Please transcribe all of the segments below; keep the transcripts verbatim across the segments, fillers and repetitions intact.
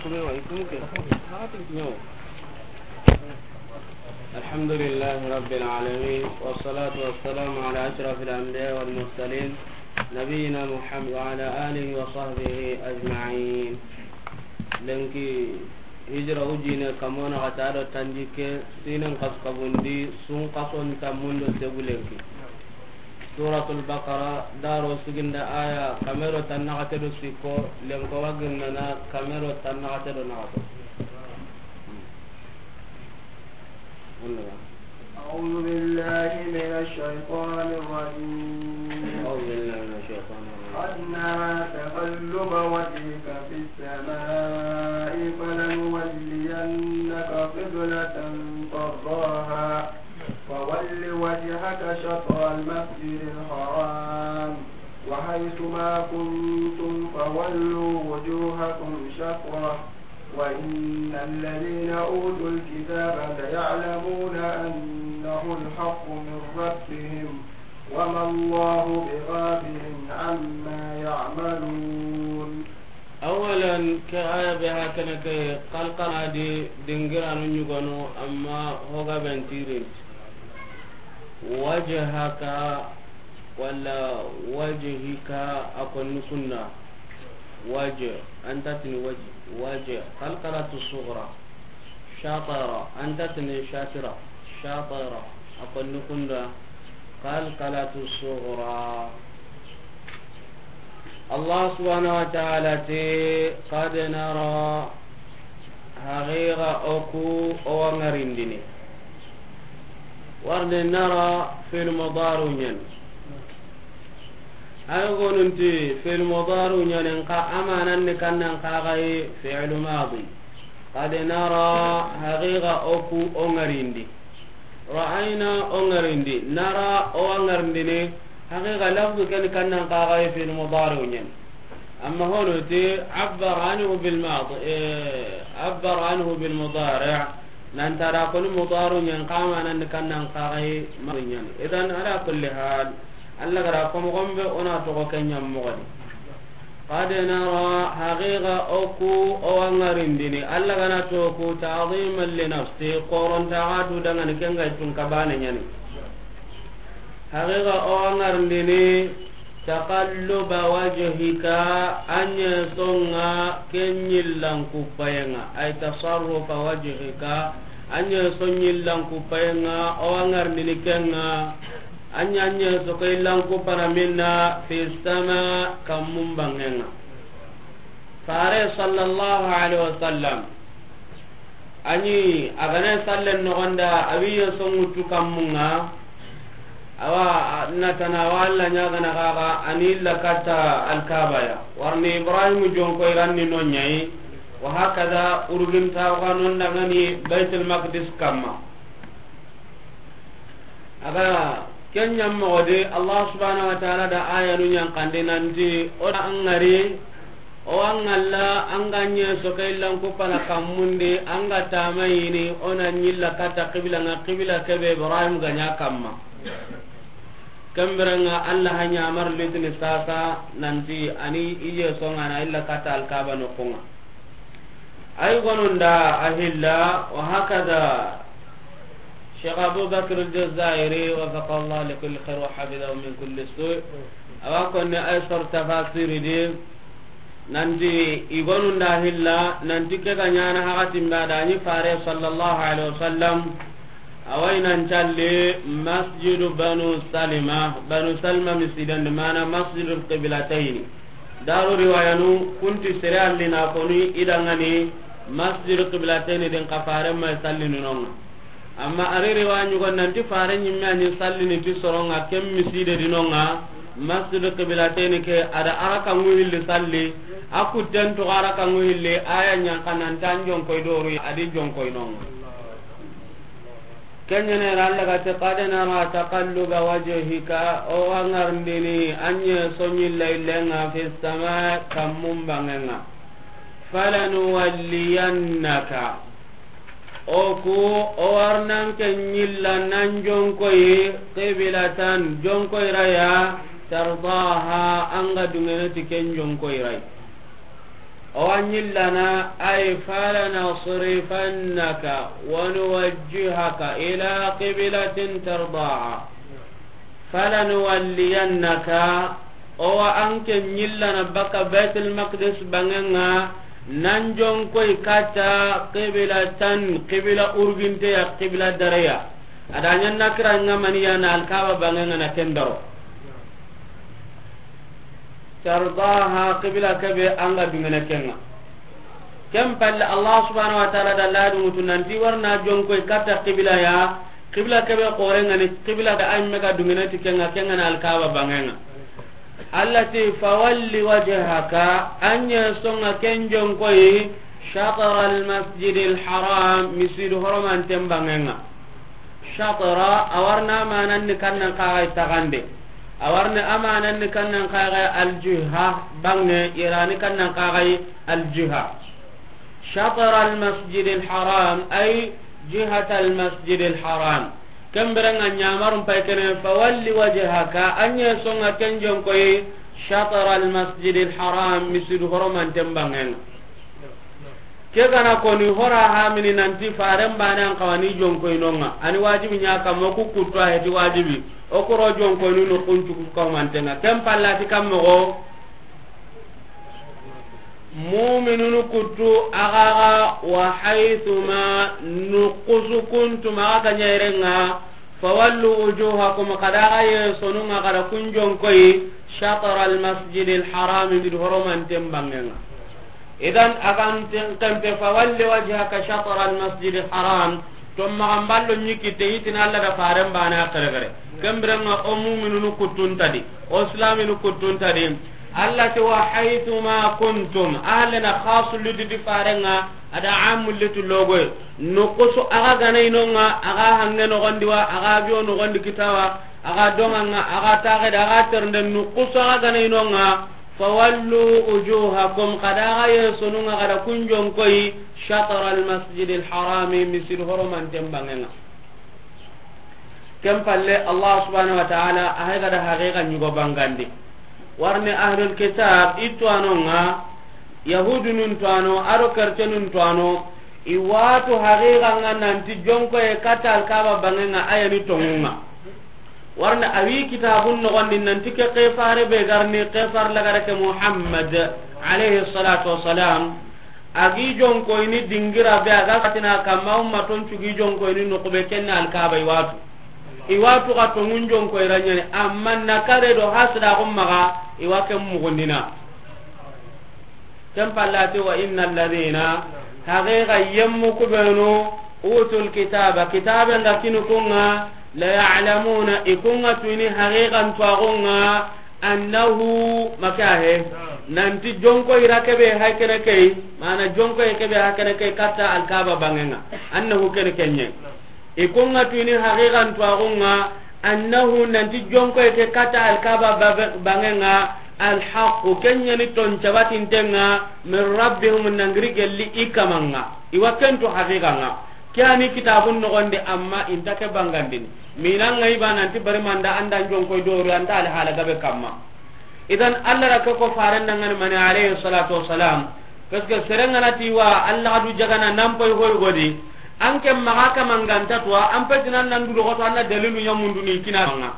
الحمد لله رب العالمين، والصلاة والسلام على أشرف الأنبياء والمرسلين، نبينا محمد وعلى آله وصحبه أجمعين. Lenki hijira wujine kamona xata do tanjikke, sinen xasu kabundi, sun xason tammundo segu lenki. Suratul Baqara, daro siginda aya kamero tannaxate do sikko, lenko wagirnana kamero tannaxate do naxato. أعوذ بالله من الشيطان الرجيم. أعوذ بالله من الشيطان الرجيم. قد نرى تقلب وجهك في السماء فلنولينك قبلة ترضاها فول وجهك شطر المسجد الحرام وحيث ما كنتم فولوا وجوهكم شطره وإن الذين أوتوا الكتاب ليعلمون أنه الحق من ربهم وما الله بغافل عما يعملون. Awalan, ke aya be hakene ke, kalkala di dingiranu ɲugonu, amma hoga ben tirin. Wajhaka wala wajhika, a konni kunna. Waj, antatini waj, waj, kalkalatu sughra. Shatara, antatini shatira. Shatara, a konni kunda. Kalkalatu sughra. Allah subhanahu wa ta'ala ti, qad nara, haqiqa oku o wa ŋarindini. Warni nara fi'l mudari ɲani. Ay gonunti fi'l mudari ɲani, nka amanan ni kannan kaxayi fi'l madi. Qad nara, haqiqa oku o ŋarindi. Ra'ayna, o ŋarindi. Nara, o wa ŋarindini. Haqiqa lafzu ken kannan kaxayi fi'l mudari ɲani. Amma hono ti abbar anhu bil madi, eh, abbar anhu bil mudari. Nan tara koni mudari ɲani, kamanan ni kannan kaxayi madi ɲani. Idan ala kulli hal, Allah gara ko mo gombe ona to ko kenya mo gadi. Qad nara, haqiqa oku o wa ŋarindini. Allah gana to ku ta'ziman li nafsi, korontaxatu dangani, kenga tun kabane ɲani. Haqiqa o wa ŋarindini, taqalluba wajhika, anye songa kenyillan kupayenga, ay tasarrufa wajhika, anye sonyillan kupayenga, o wa ŋarindini kenga. Anya anye soke illan kupana minna fi sama, kammum bangenga. Fare sallallahu alaihi wasallam, ani agane sallen nogonda, awiye songutu kammunga. Awa natana walla nyagana gaga, ani illa kata alkabaya. Warni Ibrahim jonko iranni nonyai. Wa hakada urgin tawga nondangani Baitul Maqdis kamma. Aga kenya moxo de, Allah subhanahu wa ta'ala da ayanu ɲankandi nanti, o da an ŋari, o an ŋalla, an ga ɲe soke illan kupana kammundi, an ga tamayini, o na ɲilla kata qibla nga, qibla kebe Ibrahim ga ɲa kamma. Kemberenga Allah ha ɲamar litini sasa nanti ani iye songa na illa kata alkaba nokunga. Ay gonunda a hilla, wa hakada Sheikh Abu Bakr al-Jazairi, wafaqahu Allah li kulli khair wa hafizahu min kulli su'. Awa konni ay sor tafasiri di, nanti i gonunda a hilla, nanti ke ga ɲana hakatin ba da ni fare sallallahu alaihi wasallam. Awa i nan calli Masjidu Banu Salima, Banu Salima misidan di mana Masjidul Qiblatayni. Daru riwayanu kunti sere alli na koni idangani Masjidul Qiblatayni din ka fare ma sallini nonga. Amma ari riwaya ɲugo nanti fare ɲimme ani sallini ti soronga ken miside di nonga. Masjidul Qiblatayni ke ada araka nguhilli salli, aku ten to araka nguhilli aya ɲanka nan tan jonkoy doru adi jonkoy nonga. Kenyene ra Allah ga ti, qad nara taqalluba wajhika, o wa ŋarindini anye sonyi laylenga fi sama, kammum bangenga. Falanuwalliyannaka, oku o warnan ke ɲilla nan jonkoyi, qiblatan jonkoy raya, tardaha, anga dungene ti ken jonkoy ray. O wa ɲillana, ay, falanasrifannaka wa nuwajjihaka ila qiblatin tardaha. Falanuwalliyannaka, o wa an ke ɲillana baka Baitul Maqdis banŋen ŋa, nan jonkoy kata qiblatan, qibla urginte ya, qibla dareya. A da ɲa nakira ŋa maniya na Alkaaba banŋen ŋa na ken daro. Tardaha, qibla kebe an ga dungene ken ŋa. Ken palle, Allah subhanahu wa ta'ala da ladu mutu nanti warna jonkoy kata qibla ya, qibla kebe xoren ŋa ni, qibla da ay mega dungene ti ken ŋa, ken ŋa na Alkaaba banŋen ŋa. Allah ti, fawalli wajhaka, an ɲa songa ken jonkoy, shatr al-masjid al-haram, misidu horomanten banŋen ŋa. Shatra, a warna amanan ni kannan kaxay taxande. A warni amanan ni kannan kaxay aljiha, banŋe, i ra ni kannan kaxay aljiha. Shatr al-masjid al-haram, ay jihat al-masjid al-haram. Ken biren ŋa ɲamarun pay kene, fawalli wajhaka, an ɲa songa ken jonkoy, shatr al-masjid al-haram, misidu horomanten banŋen ŋa. Ke ga na koni hora ha mini nanti faren bane an xawani jonkoynon ŋa. A ni wajibi ɲa kamma ku kuttu a heti wajibi. O kuro jonkoynu no kuncu ku kawmanten ŋa. Ken pallati kamma go mu'minunu kuttu a ga ga wa haythuma nuqusu kuntum a ga ga ɲa yere ŋa. Fawallu wujuhakum, xa da xa yesonun ŋa xa da kun jonkoyi, shatr al-masjid al-haram, misidu horomanten banŋen ŋa. Idan, a ga nten kempe, fawalli wajhaka shatr al-masjid al-haram, to maxa mballo ɲi kitte i ti na Allah da faren bane a xerexere. Ken biren ŋa o mu'minunu kuttu nta di, o islaminu kuttu nta di. Allah ti, wa haythuma kuntum, a halle na xasu liti ti faren ŋa, a da amu litu logoy. Nuqusu a ga ga na i no ŋa, a ga hanŋe noxon di wa, a ga biyo noxon di kita wa, a ga donŋa ŋa, a ga taxe da, a ga terende, nuqusu a ga ga na i no ŋa, fawallu wujuhakum, xa da xa yesonun ŋa xa da kun jonkoyi, shatr al-masjid al-haram, misidu horomanten banŋen ŋa. Ken palle, Allah subhanahu wa ta'ala a hay ga da haqiqa ɲugo bangandi. Warni ahlul kitab i tuwano ŋa, yahudunun tuwano, a do kertenun tuwano, i wa tu haqiqa ŋa nanti jonkoye kata Alkaaba banŋen ŋa a ya ni tonŋun ŋa. Warni a wi kitabun noxon di nanti ke ke fare be ga ri ni ke fare lagare ke Muhammad alayhi salatu wassalam. A gi jonkoyini dingira be a ga fatina kamma ummaton cu gi jonkoyini noxu be kenne Alkaaba i wa tu. I wa tu xa tonŋun jonkoyi ra ɲaani, amma na kare do hasida xumma ga i wa ken mugundina. Ken pallati wa inna alladhina, haqiqa yemmu kubenu, utul kitaba, kitaben ga kinu kun ŋa, la ya'lamuna, i kun ŋa tuni haqiqan tuwaxun ŋa, annahu, maka he, nanti jonkoyi ra kebe hay kene key, mana jonkoyi kebe hay kene key katta Alkaaba banŋen ŋa, annahu kene kenye. I kun ŋa tuni haqiqan tuwaxun ŋa, annahu nanti jonkoyi ke katta Alkaaba ba-, banŋen ŋa, alhaqqu, ken ɲa ni ton cabatinten ŋa, min rabbihim, nangiri gelli i kaman ŋa. I wa ken tu haqiqan ŋa. Ke a ni kitabun noxon di, amma i nta ke bangandini. Minan ŋa i ba nanti bari manda an da jonkoyi doru, an ta alhala gabe kamma. Idan, Allah ra ke ko faren da ŋa ni mani alayhi salatu wassalam. Parce que seren ga na ti wa Allah du jagana nan poy hoy godi. An ke maxa kaman ga nta tuwa, an pe tinan nan du doxoto an na dalilu ɲa mundu ni kina ŋa.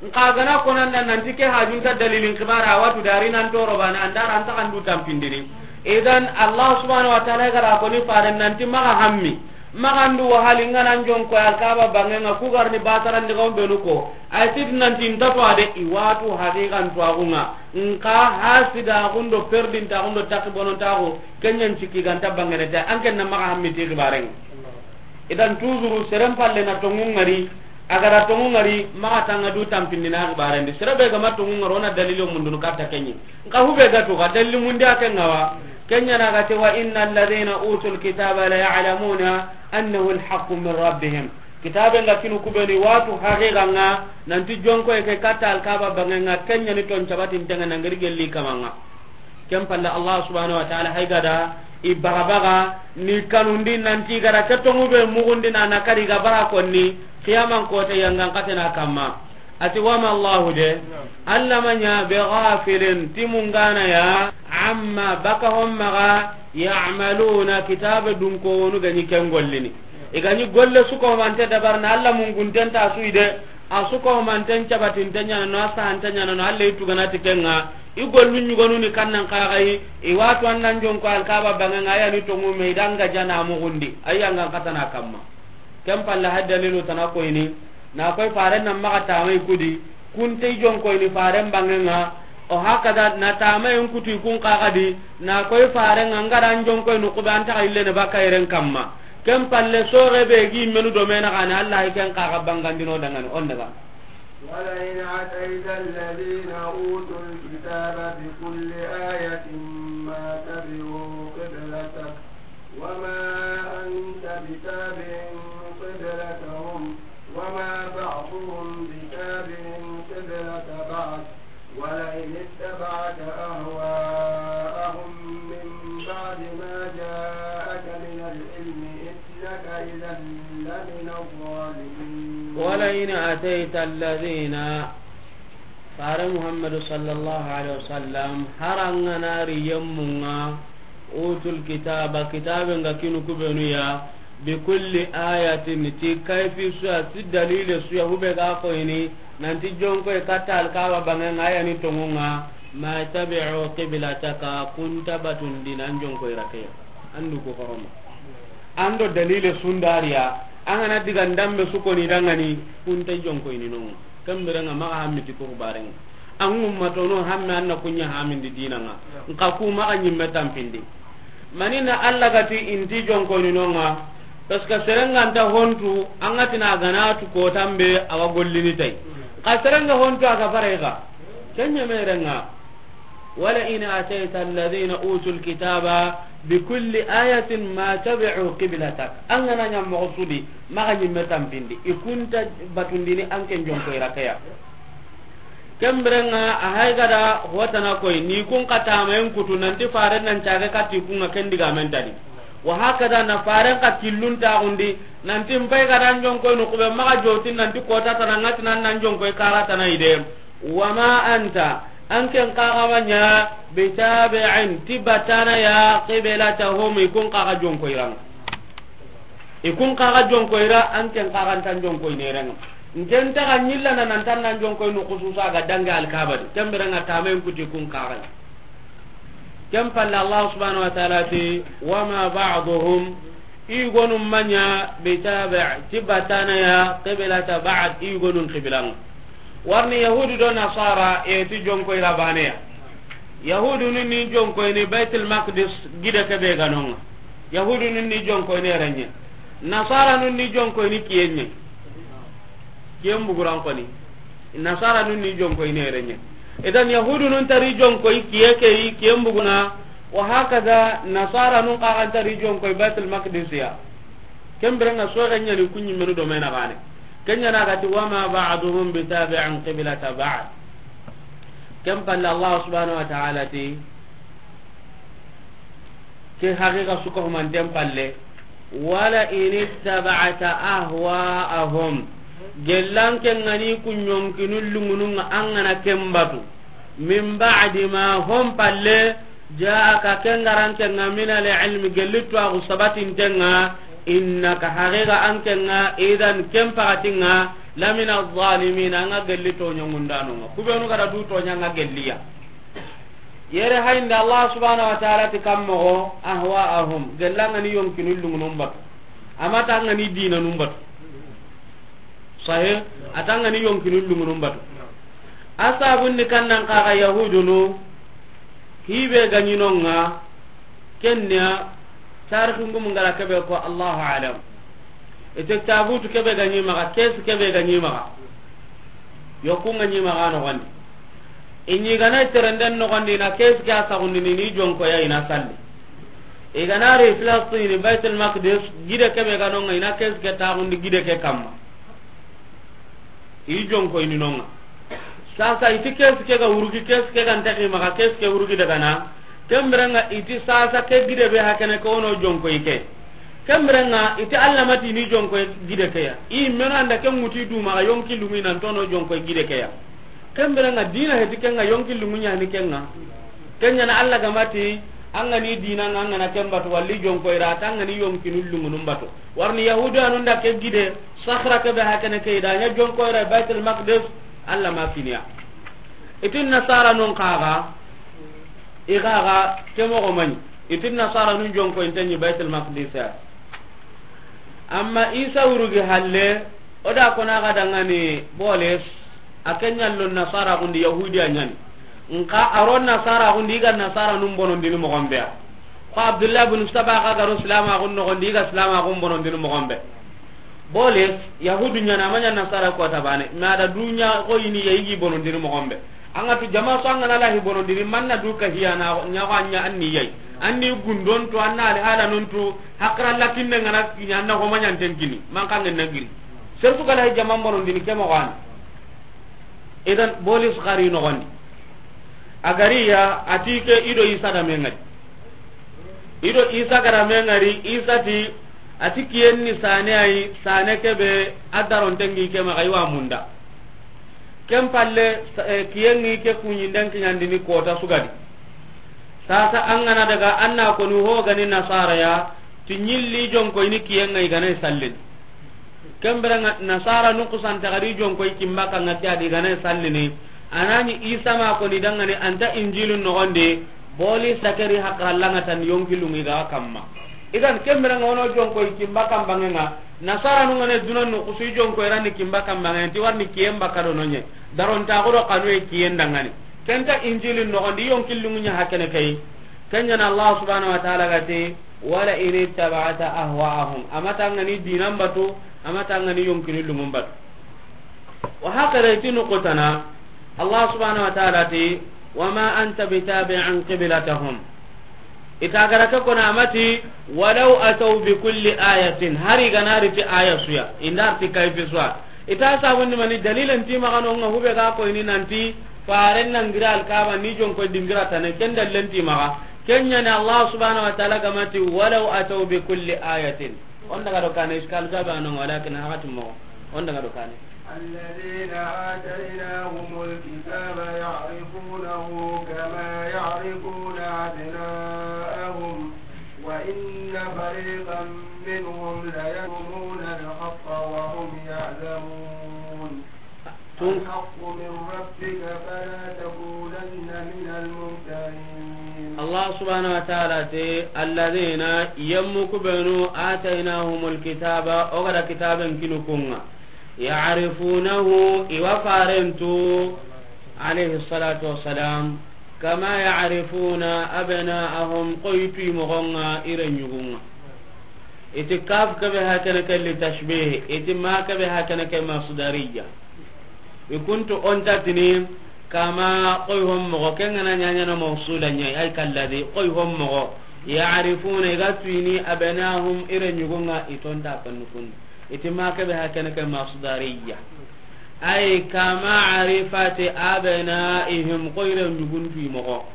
Nxa ga na ko nan nan nanti ke hajun ta dalilin xibara wa tu dari nan toro bana an da ra an ta kan du tampindini. Idan, Allah subhanahu wa ta'ala ga ra ko ni faren nanti maxa hammi. Maxandu wahali ŋa nan jonko Alkaaba banŋen ŋa ku ga ri ni batarandi ga wo benu ko. Ay ti nanti nta to a de, i wa tu haqiqan tuwaxun ŋa. Nxa hasidaxun do perdintaxun do taki bonontaxu, ken ɲa n cikki ga nta banŋene te, an ken na maxa hammi ti xibaren ŋa. Idan toujours seren palle na tonŋun ŋari, a ga ra tonŋun ŋari, maxa tanga du tampindina xibaren di. Sere be ga ma tonŋun ŋari, o na dalilo mundunu katta ken ɲi. Nxa hube ga tu ga dalili mundi a ken ŋa wa. Ken ɲa na ga te wa inna alladhina utul kitaba la ya'lamuna annahu alhaqqu min rabbihim. Kitaben ga kinu kubeni wa tu haqiqan ŋa nanti jonkoye ke katta Alkaaba banŋen ŋa ken ɲa ni ton cabatinten ŋa nangiri gelli kaman ŋa. Ken palle Allah subhanahu wa ta'ala hay ga da i baga baga ni kanundi nanti ga ra ke tonŋu be mugundi na na kari ga bara konni qiyaman kote yangan katena kamma. A ti, "Wa ma Allahu de, Alla ma ɲa be ghafilin, ti mungana ya, amma baka hon maxa, ya'maluna, kitabe dunkonu ga ɲi ken gollini." I ga ɲi golle su ko mante dabar na Alla mungunten ta su i de, a su ko manten cabatinten ɲaana no, a sahante ɲaana no, Alla i tugana ti ken ŋa, i gollu ɲugonu ni kannan kaxayi, i watu an nan jonko Alkaba bangen ŋa, a ya ni tongu me i danga jana mugundi, a ya ngan katana kamma. Ken palle ha dalilu tana koyini, na koy faren nan maxa tamay kudi, kunte jonkoyini faren bangen ŋa, o hakada na tamay kutu kun kaxadi, na koy faren ŋa ngara jonkoyini kube anta ille ne baka iren kamma. Ken palle soxe be gi menu do mena gane Allah ken kaxa bangandino dangani on daga. ولئن أتيت الذين أوتوا الكتاب بكل آية ما تبعوا قبلتك وما أنت بتابع قبلتهم وما بعضهم بتابع قبلة بعض ولئن اتبعت أهواءهم من بعد ما جاءك من العلم إنك إذا لمن الظالمين. ولئن أتيت الذين Fare Muhammadu sallallahu alaihi wasallam, harangana ri yemmunga, utul kitaba, kitabe nga kinu kubenu ya, bi kulli ayatin, ti kayfi suya, ti dalile suya, hube ga koyini, nanti jonko e katta Alkaba bangen ŋa, a ya ni tongunga, ma tabi'u qiblataka, kunta batundi nan jonko irakeya. Andu ko horoma. Ando dalile sundariya, angana diga ndambe sukoni dangani, kunta jonko ini nonga. Kambiranga maga hammi ti ko barenga. An umma tono hamme anna kunya hamindi dinanga. Nka ku maga nyimme tampindi. Manina Allah gati inti jonko ni nonga. Parce que serenga nta hontu, angati na ganatu ko tambe awa gollini tay. Ka serenga hontu aga barega. Kenya merenga. Wala in ataita alladhina utul kitaba bi kulli ayatin ma tabi'u qiblatak. Angana nyammo sudi, maga nyimme tampindi. Ikunta batundini anken jonko irakeya. Kembirenga a haygada hotana koy ni kun katamayen kutu nanti faren nan cage katti kunga kendigamentadi. Wa hakada na faren ka killun taxundi nanti mpay gada njonkoy no kube maga jotin nanti kota tana ngati nan nan njonkoy kara tana ide. Wama anta anken kagamanya bitabi'in tibatana ya qiblatahum ikun kaga jonkoy ranga. I kun kaga jonkoyra, an ken kaga ntan jonkoy nerenga. Nten taga nyilla na nan tan nan jonkoy no khususa ga dange alkabadi. Kemberenga tamen kuti kun kaga. Kem palle Allah subhanahu wa ta'ala ti, "Wama ba'duhum," i gonum manya bitabi' tibatana ya qiblata ba'd, i gonum qiblang. Warni Yahudu do Nasara e ti jonkoy rabaneya. Yahudu ni ni jonkoy ni Baitul Maqdis gide kebe ganonga. Yahudu ni ni jonkoy ni renye. Nasara ni ni jonkoy ni kiyenye. Kiyen buguran koni. Nasara ni ni jonkoy ni renye. Idan Yahudu nun tari jonkoy kiye ke yi kiyen buguna. Wa hakaza Nasara nun kagan tari jonkoy Baitul Maqdis ya. Kembirenga soge nyani kunyi menu do mena gane. Kenya na gati, "Wama ba'duhum bitabi'in qiblata ba'd." Kem palle Allah subhanahu wa ta'ala ti, ke haqiqa suka humanten palle, "Wala in ittaba'ta ahwa'ahum." Gellan ke ngani kunyonkinu lungununga angana kembatu. Min ba'di ma hon palle Ja'aka ken garankenga minal ilmi gelli tuwaxu sabatintenga, innaka haqiqa ankenga idan ken pakatinga lamina zalimin anga gelli toñongundanonga kubenu gara du toñanga gelliya. Yere hayinde Allah subhanahu wa ta'ala ti kammoxo ahwa'ahum gellangani yonkinu lungunun batu. Amata angani dinanun batu. Sahe, atangani yonkinu lungunun batu. Asabunni kannan kaga yahudunu hibe gañinonga. Kenya tarixingumu ngara kebe ko Allahu alam. Ite tabutu kebe gañi maga kesi kebe gañi maga. Yokunga ñi maga nogondi. Iñi gana terenden nogondi ina kesi ke asagundini ni jonkoya ina salli. Iganari Filastini Baitul Maqdis gide kebe ganonga ina kesi ke tagundi gide ke kamma. I jonko ini nonga. Sasa iti kesi ke ga urugi kesi ke ga ntaki maga kesi ke urugi daga na. Kemberenga iti sasa ke gide be hakene ko ono jonko ike. Ken biren ŋa, i ti Alla ma ti ni jonko gide ke ya. I meno an da ken ŋutu i du maxa yonki lunŋu i nan tono jonko gide ke ya. Ken biren ŋa, dina heti ken ŋa, yonki lunŋu ɲa ni ken ŋa. Ken ɲa na Alla ga ma ti, an ga ni dina ŋa, an ga na ken batu, walla i jonko i ra ta, an ga ni yonkinu lunŋunun batu. Warni Yahudiyanun da ke gide, sahara ke be hakene ke, i da ɲa jonko i ra Baitul Maqdis, Alla ma kini ya. I ti Nasaranun xa ga, i xa ga, ke moxo ma ɲi. I ti Nasaranun jonko i nta ɲi Baitul Maqdis ya. Amma Isa wurugi halle, o da kona ga dangani Bolis, a ke ɲa lo Nasaraxun di, Yahudiya ɲa ni. Nxa a ro Nasaraxun di, i ga Nasaranun bonondini moxon be ya. Ko Abdullah bin Saba xa ga ro Silamaxun noxon di, i ga Silamaxun bonondini moxon be. Bolis, Yahudu ɲa na, a ma ɲa Nasara kota bane. Ma da duna ko i ni ya i gi bonondini moxon be. An ga tu jama su an ga na lahi bonondini, manna du ka hiya na ɲa ko an ɲa an ni ya yi. An ni gundon tu, an na alhalanun tu, hakara lakinne ŋa na kiɲa, an na ho ma ɲa an ten kini, man xa ŋen na giri. Sertu ga lahi jama bonondini ke moxo ya ni. Idan, Bolis xari noxon di. A ga ri ya, a ti ke i do Isa da me ŋa ri. I do Isa ga da me ŋa ri, Isa ti, a ti kiyen ni sane ya yi, sane ke be a daronten gi ke maxa i wa munda. Ken palle, sa-, eh, kiyen ŋi ke kuɲinden kiɲandini kota su ga di. Sasa an ga na daga an na koni ho ga ni Nasara ya, ti ɲilli jonko i ni kiyen ŋa i ga na i sallini. Ken biren ŋa Nasaranun kusanta ga ri jonko i kimba kan ŋa ke ya di i ga na i sallini. A na ɲi Isa ma koni dangani an ta Injilun noxon di, Bolis da ke ri hakara la ŋa tan yonki lunŋu i ga kamma. Idan ken biren ŋa o no jonko i kimba kan banŋen ŋa, Nasaranun ga ne duna no kusu i jonko i ra ni kimba kan banŋen ŋa, ti warni kiyen baka do no ɲe. Darontaxu do xanu ye kiyen dangani. Ken ta Injilin noxon di, yonki lunŋu ɲa hakene ke yi. Ken ɲa na Allah subhanahu wa ta'ala ga ti, "Wala in ittaba'ta ahwa'ahum." A ma ta an ga ni dinan batu, a ma ta an ga ni yonkini lunŋun batu. Wa hakada i ti nuqutana, Allah subhanahu wa ta'ala ti, "Wa ma anta bitabi'in qiblatahum." I ta ga ra ke kona a ma ti, "Walaw ataw bi kulli ayatin." Hari ga na ri ti aya su ya, i nda ri ti kayfi su ya. I ta sabundi mani dalilan ti maxa no ŋa hube ga ko i ni nanti, faren nan gira Alkaba ni jonko dingira tane, ken dalilan ti maxa. Ken ɲa ni Allah subhanahu wa ta'ala ga ma ti, "Walaw ataw bi kulli ayatin." On daga do kane iskal ga ba no, walakin haxati mo. On daga do kane. الذين آتيناهم الكتاب يعرفونه كما يعرفون أبناءهم وإن فريقا منهم ليكتمون الحق وهم يعلمون. Tun. الحق من ربك فلا تكونن من الممترين. Allah subhanahu wa ta'ala ti, "Alladhina", yemmu ku benu, "ataynahumul kitaba", o ga da kitaben kinu ku ŋa, "ya'rifunahu", i wa farentu, alayhi salatu wassalam, "kama ya'rifuna abna'ahum", xo i tu i moxo ŋa i renyugu ŋa. I ti kaf ke be hakene ke li tashbih, i ti ma ke be hakene ke masdariya. I kuntu on tatini, kama, xo i ho moxo, ken ga na ɲaɲana mawsula ɲa yi, ay kalladhi, xo i ho moxo, ya'rifuna, i ga tuyini, abna'ahum, i renyugu ŋa, i tonta kanu kun. I ti ma ke be hakene ke masdariya. Ay kama arifati abna'ihim, xo i renyugun tu i moxo.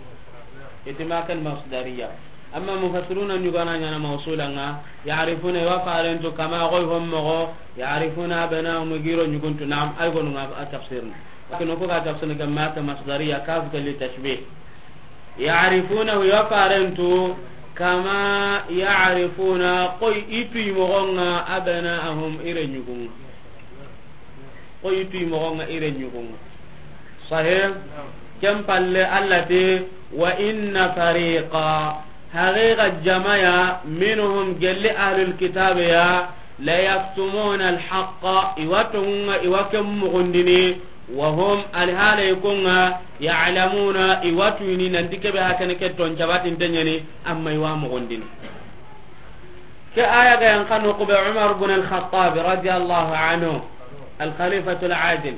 I ti ma ken masdariya. Amma mufassiruna ɲugana ɲana mawsula ŋa, ya'rifuna, i wa farentu, kama, xo i ho moxo, ya'rifuna abna'ahum, i gi renyugun tu, naam, ay gonu ŋa a tafsirni. Lakin o ku ga tafsirni ke ma ke masdariya, kaf ke li tashbih. Ya'rifunahu, i wa farentu, kama ya'rifuna, xo i tu i moxo ŋa, abna'ahum, i renyugu ŋa. Xo i tu i moxo ŋa, i renyugu ŋa. Sahih? Ken palle Allah ti, "Wa inna fariqa", haqiqa jamaya, "minhum", gelli ahlul kitabe ya, "la yaktumuna al-haqqa", i wa tonŋu ŋa, i wa ken muxundini, "wa hum", alhala i ku ŋa, "ya'lamuna", i wa tuyini nanti ke be hakene ke ton cabatin tenyani, amma i wa muxundini. Ke aya ga yan kanu kube Umar bin al-Khattab radiyallahu anhu, al-khalifatul adil,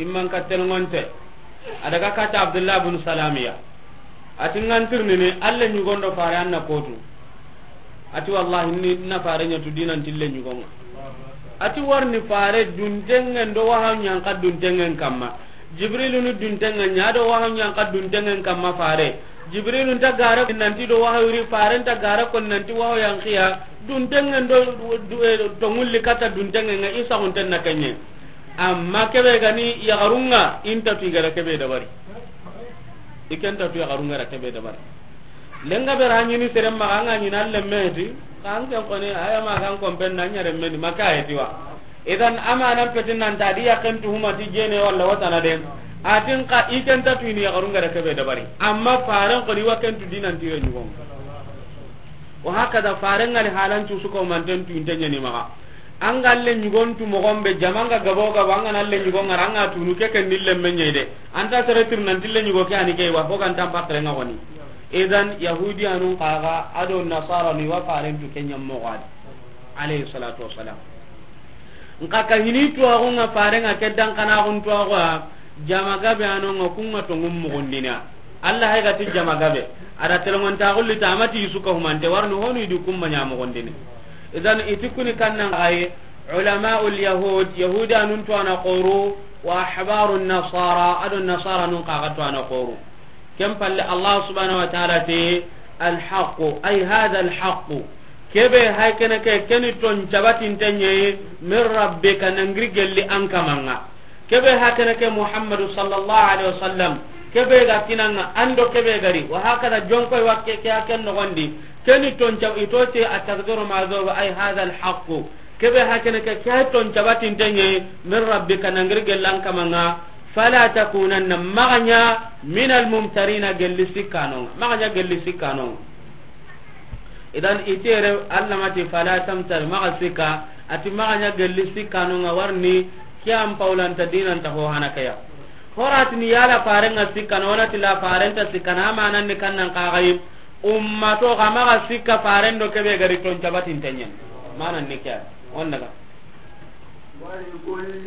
imman ka telngonte, a daga kata Abdullah bin Salamiya. A ti ŋa n tirnini, Alla ɲugon do fare an na kotu. A ti wallahi ni na fare ɲa tu dinan ti Alla ɲugon ŋa. A ti warni fare duntenŋen do waha ɲan ka duntenŋen kamma. Jibrilu ni duntenŋen ɲa do waha ɲan ka duntenŋen kamma fare. Jibrilu nta gare nanti do wahayu ri, faren ta gare ko nanti wahayu yan kiya. Duntengen do, du, eh, to ngulli kata duntengen nga isa hunten na kenye. Amma kebe gani yaxarun ŋa, inta tu i ga ra kebe dabari. I ken ta tu yaxarun ŋa ra kebe dabari. Lenga be ra ɲini seren maxa, an ga ɲini an lemme ti, xa an ken xoni, a ya ma xa an kompen na ɲare meni, ma ke a yi ti wa. Idan, a ma nan petin nan ta di yaxen tuhuma ti jene walla watana de. A tin xa i ken ta tu i ni yaxarun ŋa ra kebe dabari. Amma faren xoni wa ken tu di nan ti re ɲugon. Wa hakada faren ŋa ni halan cu su ko manten tu inte ɲani maxa. An ga le ɲugon tu moxon be, jama nga gabo gabo, an ga na le ɲugon ŋa ra, an ga tunu ke ken ni lemme ɲe de. An ta sere tir nan ti le ɲugo ke a ni ke wa, fo ga nta n pakre nga xoni. Idan, Yahudiyanun xa ga, a do Nasara ni wa faren tu ke ɲa moxo a di. Alayhi salatu wassalam. Nka ka hini tuwaxu nga faren ŋa ke dan kana xun tuwaxu a, jama gabe a no nga kun ŋa to ngum moxondina. Allah hay ga ti jama gabe. A da telongon ta xulli ta a ma ti i su ka humante, warni honu i di kun ma ɲa moxondini. Idan i ti kuni kannan xa yi, ulama'ul yahud, Yahudiyanun tuwana xoru, wa ahbarun nasara, a do Nasaranun xa ga tuwana xoru. Ken palle Allah subhanahu wa ta'ala ti, alhaqu, ay hadha alhaqu. Kebe hay kene ke, keni ton cabatinte ɲe, min rabbika, nangiri gelli an kaman ŋa. Kebe hakene ke Muhammadu sallallahu alaihi wasallam, kebe ga kinanga ando kebe gari, wa hakada jonkoy wakke ke haken nogondi, keni ton ca-, ito ce a takdoro ma zo, ay hadha alhaqu. Kebe hakene ke, ke ton cabatinte ɲe, min rabbika, nangiri gellan kamanga, fala takunanna, maxa ɲa, min almumtarina, gelli sikkanonga, maxa ɲa gelli sikkanonga. Idan itere Allah mati fala tamtar, maxa sikka, ati maxa ɲa gelli sikkanonga warni, ke an paulanta dinanta ho hana kaya. Horatini yala farenga sikkana, onati la farenta sikkana, amanan ni kannan kaxayi, ummato xa maxa sikka farendo kebe gari ton cabatinte ɲen. Manan ni ke, on daga. ولكل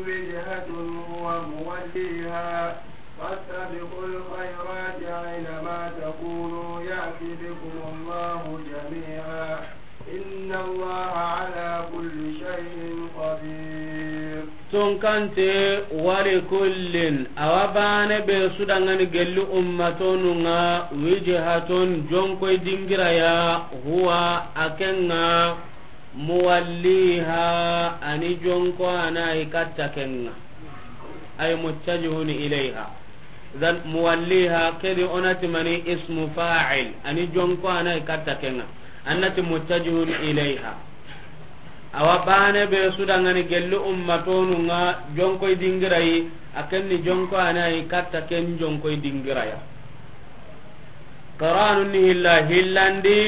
وجهة هو موليها فاستبقوا الخيرات أينما تكونوا يأت بكم الله جميعا إن الله على كل شيء قدير. Tonkante, ولكل, awa bane be sudangani gelli ummatonunga, وجهة, jonkoy dingiraya, هو, akenga, muwalliha, ani jonko anayi katta kenga. Ay muttajihun ilayha. Idan muwalliha kedi onati mani ismu fa'il, ani jonko anayi katta kenga. Annati muttajihun ilayha. Awa bane be sudangani gelli ummatonunga jonkoy dingirayi, akenni jonko anayi katta ken jonkoy dingiraya. Qira'anun ni hilla, hillandi,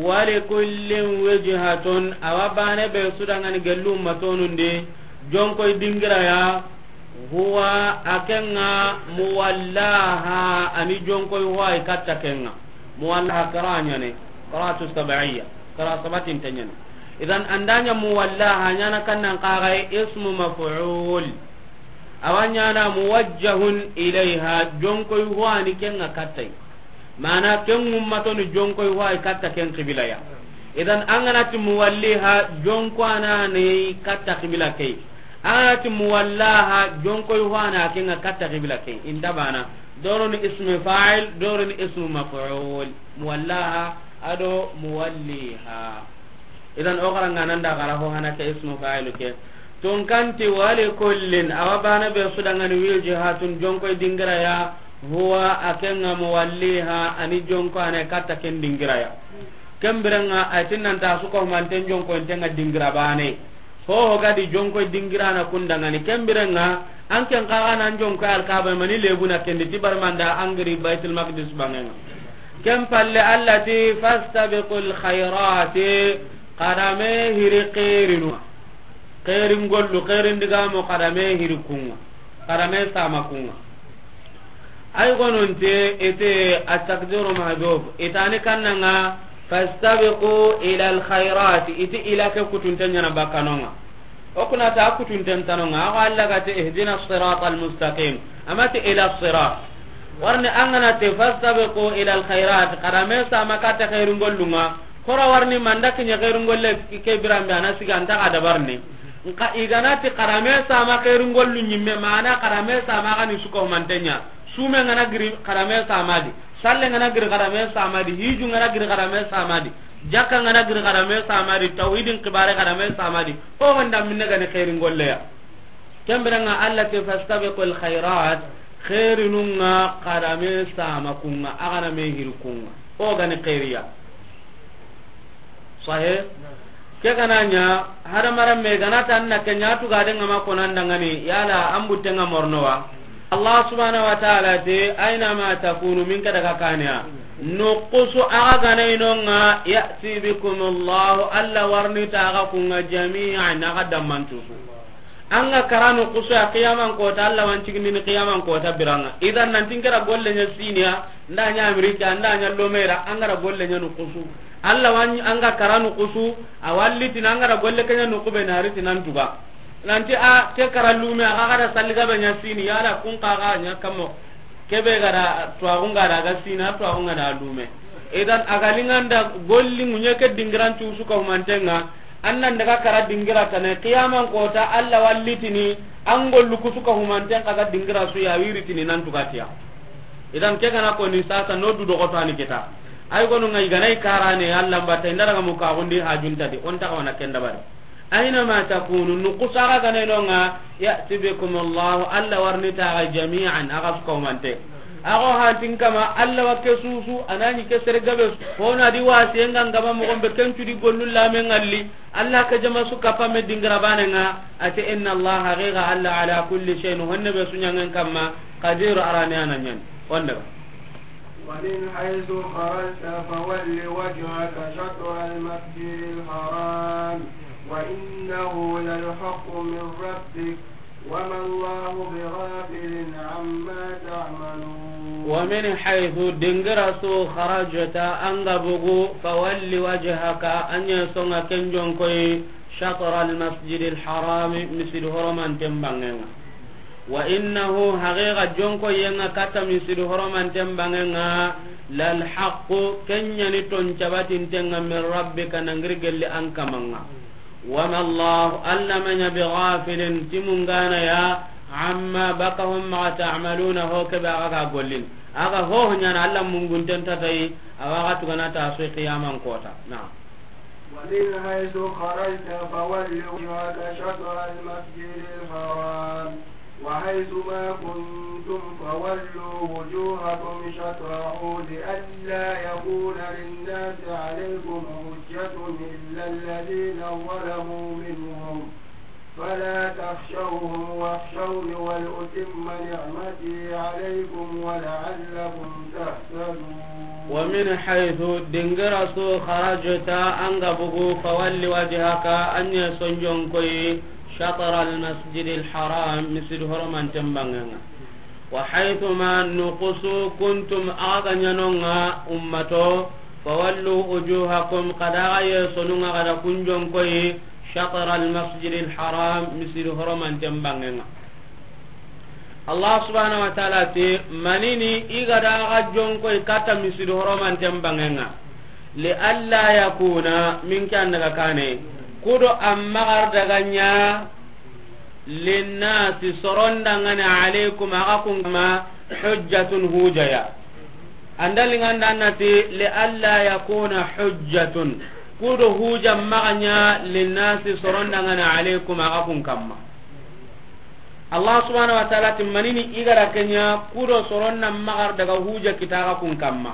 ولكل وجهة, awa bane be sudangani gellu ummatonun di, jonkoy dingiraya, هو, akenga, muwallaha, ani jonkoy huwayi katta kenga. Muwallaha qira'a ɲane, qira'atu sab'iyya, qira'a sabatinte ɲane. Idan andanya muwallaha ɲana kannan kaxayi ismu maf'ul. Awa ɲana muwajjahun ilayha, jonkoy huwani kenga kattay. Mana ken ummatoni jonkoy huwayi katta ken qibilaya. Idan anganati muwalliha, jonko anani katta qibila kay. Anganati muwallaha, jonkoy huwana kenga katta qibila kay. Inta bana. Doroni ismi fa'il, doroni ismu maf'ul. Muwallaha, ado muwalliha. Idan o xaranga nan da xara ho hana ke ismu fa'ilu ke. Tunkanti ولكل, awa bana be sudangani وجهة, jonkoy dingiraya, هو, akenga, muwalliha, ani jonko ane katta ken dingiraya. Ken birenga, ay tinnanta suko manten jonko intenga dingira bane. Ho ho gadi jonkoy dingirana kundangani. Ken birenga, An ken kaga nan jonko Alkaba mani lebuna kendi ti barmanda angiri Baitul Maqdis bangenga. Ken palle Allah ti fastabiqul khairati, kadame hiri khairinu. Khairin gollu, khairin digamo kadame hiri kunga. Kadame sama kunga. Ay gononte ete atakdiru mahdhuf. Itani kannanga fastabiqu ila alkhairati. Iti ila ke kutunte ɲana bakanonga. O kuna ta kutunten tanonga, ago Allah ga te ihdina siratal mustaqim. Amati ila sirat. Warni angana te fastabiqu ila alkhairat. Kadame sama kata khairun gollunga. Kora warni manda kinya khairun golle ke birambe ana siga anta kada barni. Nka igana te kadame sama khairun gollu nyimme mana kadame sama kani suko mantenya. Sume ngana giri kadame sama di. Salle nga na giri, xa da me samadi. Hiju nga na giri, xa da me samadi. Jakka nga na giri, xa da me samadi. Tawhidin xibare, xa da me samadi. Ho ho nda minne ga ni xeerin golle ya. Ken bire nga Allah ti fastabiqul khairat, xeerinun ŋa xa da me sama kun ŋa, a ga na me hiri kun ŋa. O ga ni xeeri ya. Sahe. Ke ga na ɲa, hadamarenme ga na ta an na ke ɲa tu ga de nga ma ko nan dangani, yala an butte nga morno wa. Allah subhanahu wa ta'ala ti, "Aina ma takunu," min ke daga kaniya. Nuqusu a ga ga na i no ŋa, ya'ti bikumullahu, Allah wa ri ti a ga kun ŋa jami'an, a ga damman tusu. An ga kara nuqusu ya qiyaman kota, Allah wa an cigindini qiyaman kota biran ŋa. Idan nan ti n ke ra golle ɲa siniya, nda ɲa Amerika, nda ɲa lomera, an ga ra golle ɲa nuqusu. Allah wa an ga kara nuqusu, a wa litini an ga ra golle ke ɲa nuqu be na ri ti nan tuga. Nan ti a ke kara lume, a ga ga da salli ga be ɲa sini, yala kun xa ga ɲa kamo. Ke be ga da tuwaxu nga da ga sina, tuwaxu nga da lume. Idan a ga linganda golli ŋuɲe ke dingiran tusu ka humanten ŋa, an nan daga kara dingira tane, qiyaman kota, Allah wa litini, an gollu kusu ka humanten xa ga dingira su ya wiritini nan tugatiya. Idan ke ga na ko ni sasa no du dogoto ani kita. Ay gonu ngai ga na i karane Allah mbata i nda daga mu ka gundi hajunta di, on ta wana kenda bari. Aina ma takunu, nuqusu a ga ga na i no ŋa, ya'ti bikumullahu, Allah wa ri ti a ga jami'an, a ga su ka humante. A go hantin kama, Allah wa ke susu, a na ɲi ke sere gabe su. Ho na di wasi nga nga ba mo gombe ken cu di gollu la me ngalli. Allah ka jama su ka pa me dingira bane ŋa, a ti inna Allah, haqiqa Allah, ala kulli shay'in, honne be su ɲangen kamma, qadir, arane a na ɲan. Honne ba. ومن حيث خرجت فول وجهك شطر المسجد الحرام وإنه للحق من ربك وما الله بغافل عما تعملون. ومن حيث, dingira su, خرجت, an ga bugu, فول وجهك, an ɲa soŋa ken jonkoyi, شطر المسجد الحرام, misidi horomanten bangen ŋa. Wa innahu, haqiqa jonkoyen ŋa katta misidi horomanten bangen ŋa, lal haqqu, ken ɲa ni ton cabatinten ŋa, min rabbika, nangiri gelli an kaman ŋa. Wa ma Allahu, Alla ma ɲa, bi ghafilin, ti mungana ya, amma, baka hon maxa, ta'maluna, ho ke be axa ga gollini. Axa ho ho ɲaana Alla mungunten tatayi, awa xa tugana ta su qiyaman kota. Naam. ومن حيث خرجت فول وجهك شطر المسجد الحرام وحيث ما كنتم فولوا وجوهكم شطره لئلا يكون للناس عليكم حجة إلا الذين ظلموا منهم فلا تخشوهم واخشوني ولأتم نعمتي عليكم ولعلكم تهتدون. ومن حيث, dingira su, خرجت, an ga bugu, فول وجهك, an ɲa sonjonkoyi, شطر المسجد الحرام, misidi horomanten bangen ŋa. وحيث ما, nuxusu, كنتم, axa ga ɲa no ŋa, ummato, فولوا وجوهكم, xa da axa yeesonun ŋa, xa da kun jonkoyi, شطر المسجد الحرام, misidi horomanten bangen ŋa. Allah subhanahu wa ta'ala ti, manini i ga da axa jonkoyi katta misidi horomanten bangen ŋa. لئلا يكون, min ke an daga kane. Kudo an maxa ri daga ɲa, للناس, soron dangana, عليكم, axa kun ma, حجة, hujja ya. An da linganda na ti, لئلا يكون حجة. Kudo hujja maxa ɲa, للناس, soron dangana, عليكم, axa kun kamma. Allah subhanahu wa ta'ala ti manini i ga da ke ɲa, kudo soron na maxa ri daga hujja kita axa kun kamma.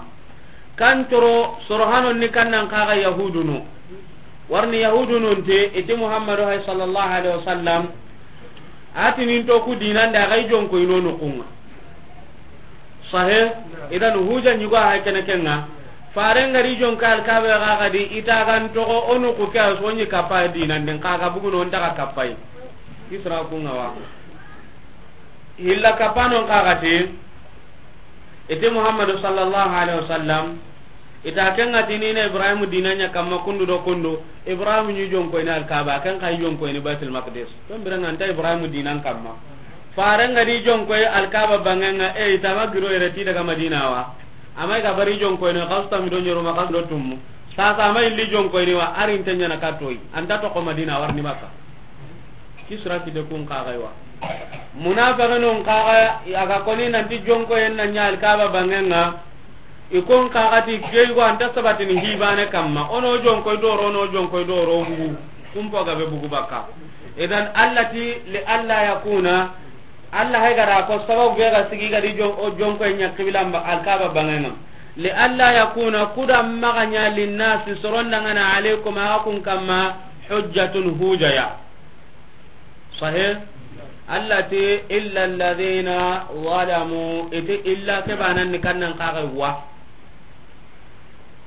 Kan toro soro hanon ni kannan kaga Yahudunu. Warni Yahudunun te, i ti Muhammadu hay sallallahu alaihi wasallam. A ti nin to ku dinan da ga i jonkoyi no nuxun ŋa. Sahe, idan hujja ɲi go hay kene ken ŋa. Faren ga ri jonko Alkaaba ga ga di, i ta gan toxo o nuxu ke a so ɲi kappa dinan den kaga bugu no nda ga kappa yi. Isra kun ŋa wa. Hilla kappa no kaga ti. I ti Muhammadu sallallahu alaihi wasallam, i ta ken ŋa ti ni na Ibrahim dinan ɲa kamma kundu do kundu, Ibrahim ɲi jonkoyini Alkaaba, ken xa i jonkoyini Baitul Maqdis. Ken biren ŋa nta Ibrahim dinan kamma. Faren ga di jonkoyi Alkaaba bangen ŋa, e, i ta ma giro yere ti daga Madina wa. Amma i ga bari jonkoyini, xasu tammi do ɲoroma, xasu do tummu. Sasa a ma illi jonkoyini wa, a ri nte ɲaana katoyi. An ta toxo Madina, warni Makka. Kisra kite kun kaga wa. Munafiqinun kaga, a ga koni nanti jonkoyen na ɲa Alkaaba bangen ŋa. I kon kaxati ke yugo anta sabatini hibane kamma, ono jonkoy doro, ono jonkoy doro bugu, kumpo gabe bugu bakka. Idan, Allah ti, li alla yakuna, Allah hay gara ko sababu be ga sigi gadi jon-, o jonkoy ɲa qiblan ba, Alkaba bangenga. Li alla yakuna, kuda maxa ɲa linnasi, soron dangana, alaykum, axa kun kamma, hujjatun, hujaya. Sahih? Allah ti, illa alladhina zalamu, iti illa ke banan ni kannan kaga wa.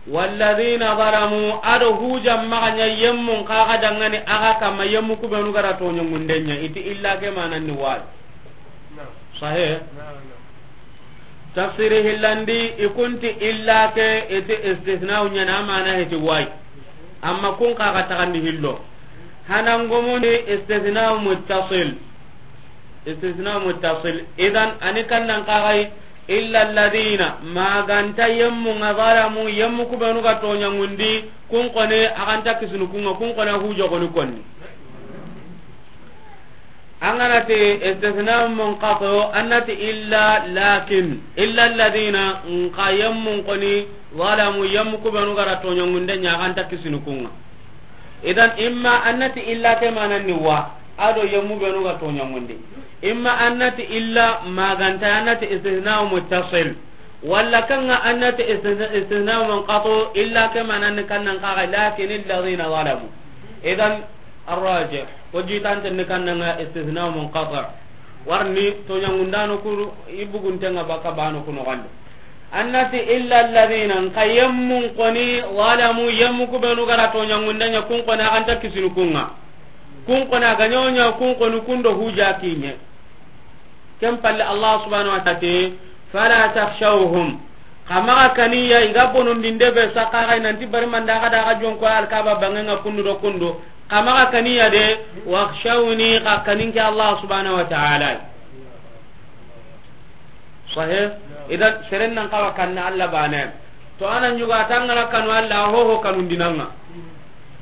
Walladhina zalamu, ado hujan maxa ɲa yemmun kaga dangani aga kamma yemmu kubenu gara toɲa ngundenya, iti illa ke manan ni wa. Sahih? Tafsiri hillandi, i kunti illa ke, iti istisna'u ɲana, mana heti way. Amma kun kaga tagandi hillo. Hanangomuni istisna'u muttasil. Istisna'u muttasil. Idan, ani kannan kagai, illa alladhina, maganta yemmu nga zalamu, yemmu kubenu ga toɲa ngundi, kun kone, aganta kisunu kunga, kun kone hujo koni konni. An ga na ti istisna munqati, an na ti illa, lakin, illa alladhina, nka yemmun koni, zalamu, yemmu kubenu gara toɲangunde ɲa, an ta kisini kunga. Idan, imma an na ti illa ke manan ni wa, ado yemmu benu ga toɲangunde. Imma an na ti illa maganta, an na ti istisna muttasil. Walla kanga an na ti istisna, istisna munqati, illa ke manan ni kannan kaga, lakin alladhina zalamu. Idan, arrajih, ko jitante ni kannanga istisna munqati. Warni toɲangundano kuru, i buguntenga baka bano kuno gande. An na ti illa alladhina, nka yemmun koni, zalamu, yemmu kubenu gara toɲangundanya, kun koni aganta kisini kunga. Kun koni aga ɲoɲa, kun koni kundo huja kinye. Ken palle Allah subhanahu wa ta'ala ti, fala takhshawhum. Kamaga kaniya, iga bonondinde be sakaga nanti bari manda ga daga jonko Alkaba bangenga kundu do kundu. Kamaga kaniya de, wakhshawni, ka kaninke Allah subhanahu wa ta'ala. Sahih? Idan, seren nan kawa kanna Allah bane. To, ana ɲuga tangana kanu Allah, ho ho kanundinanga.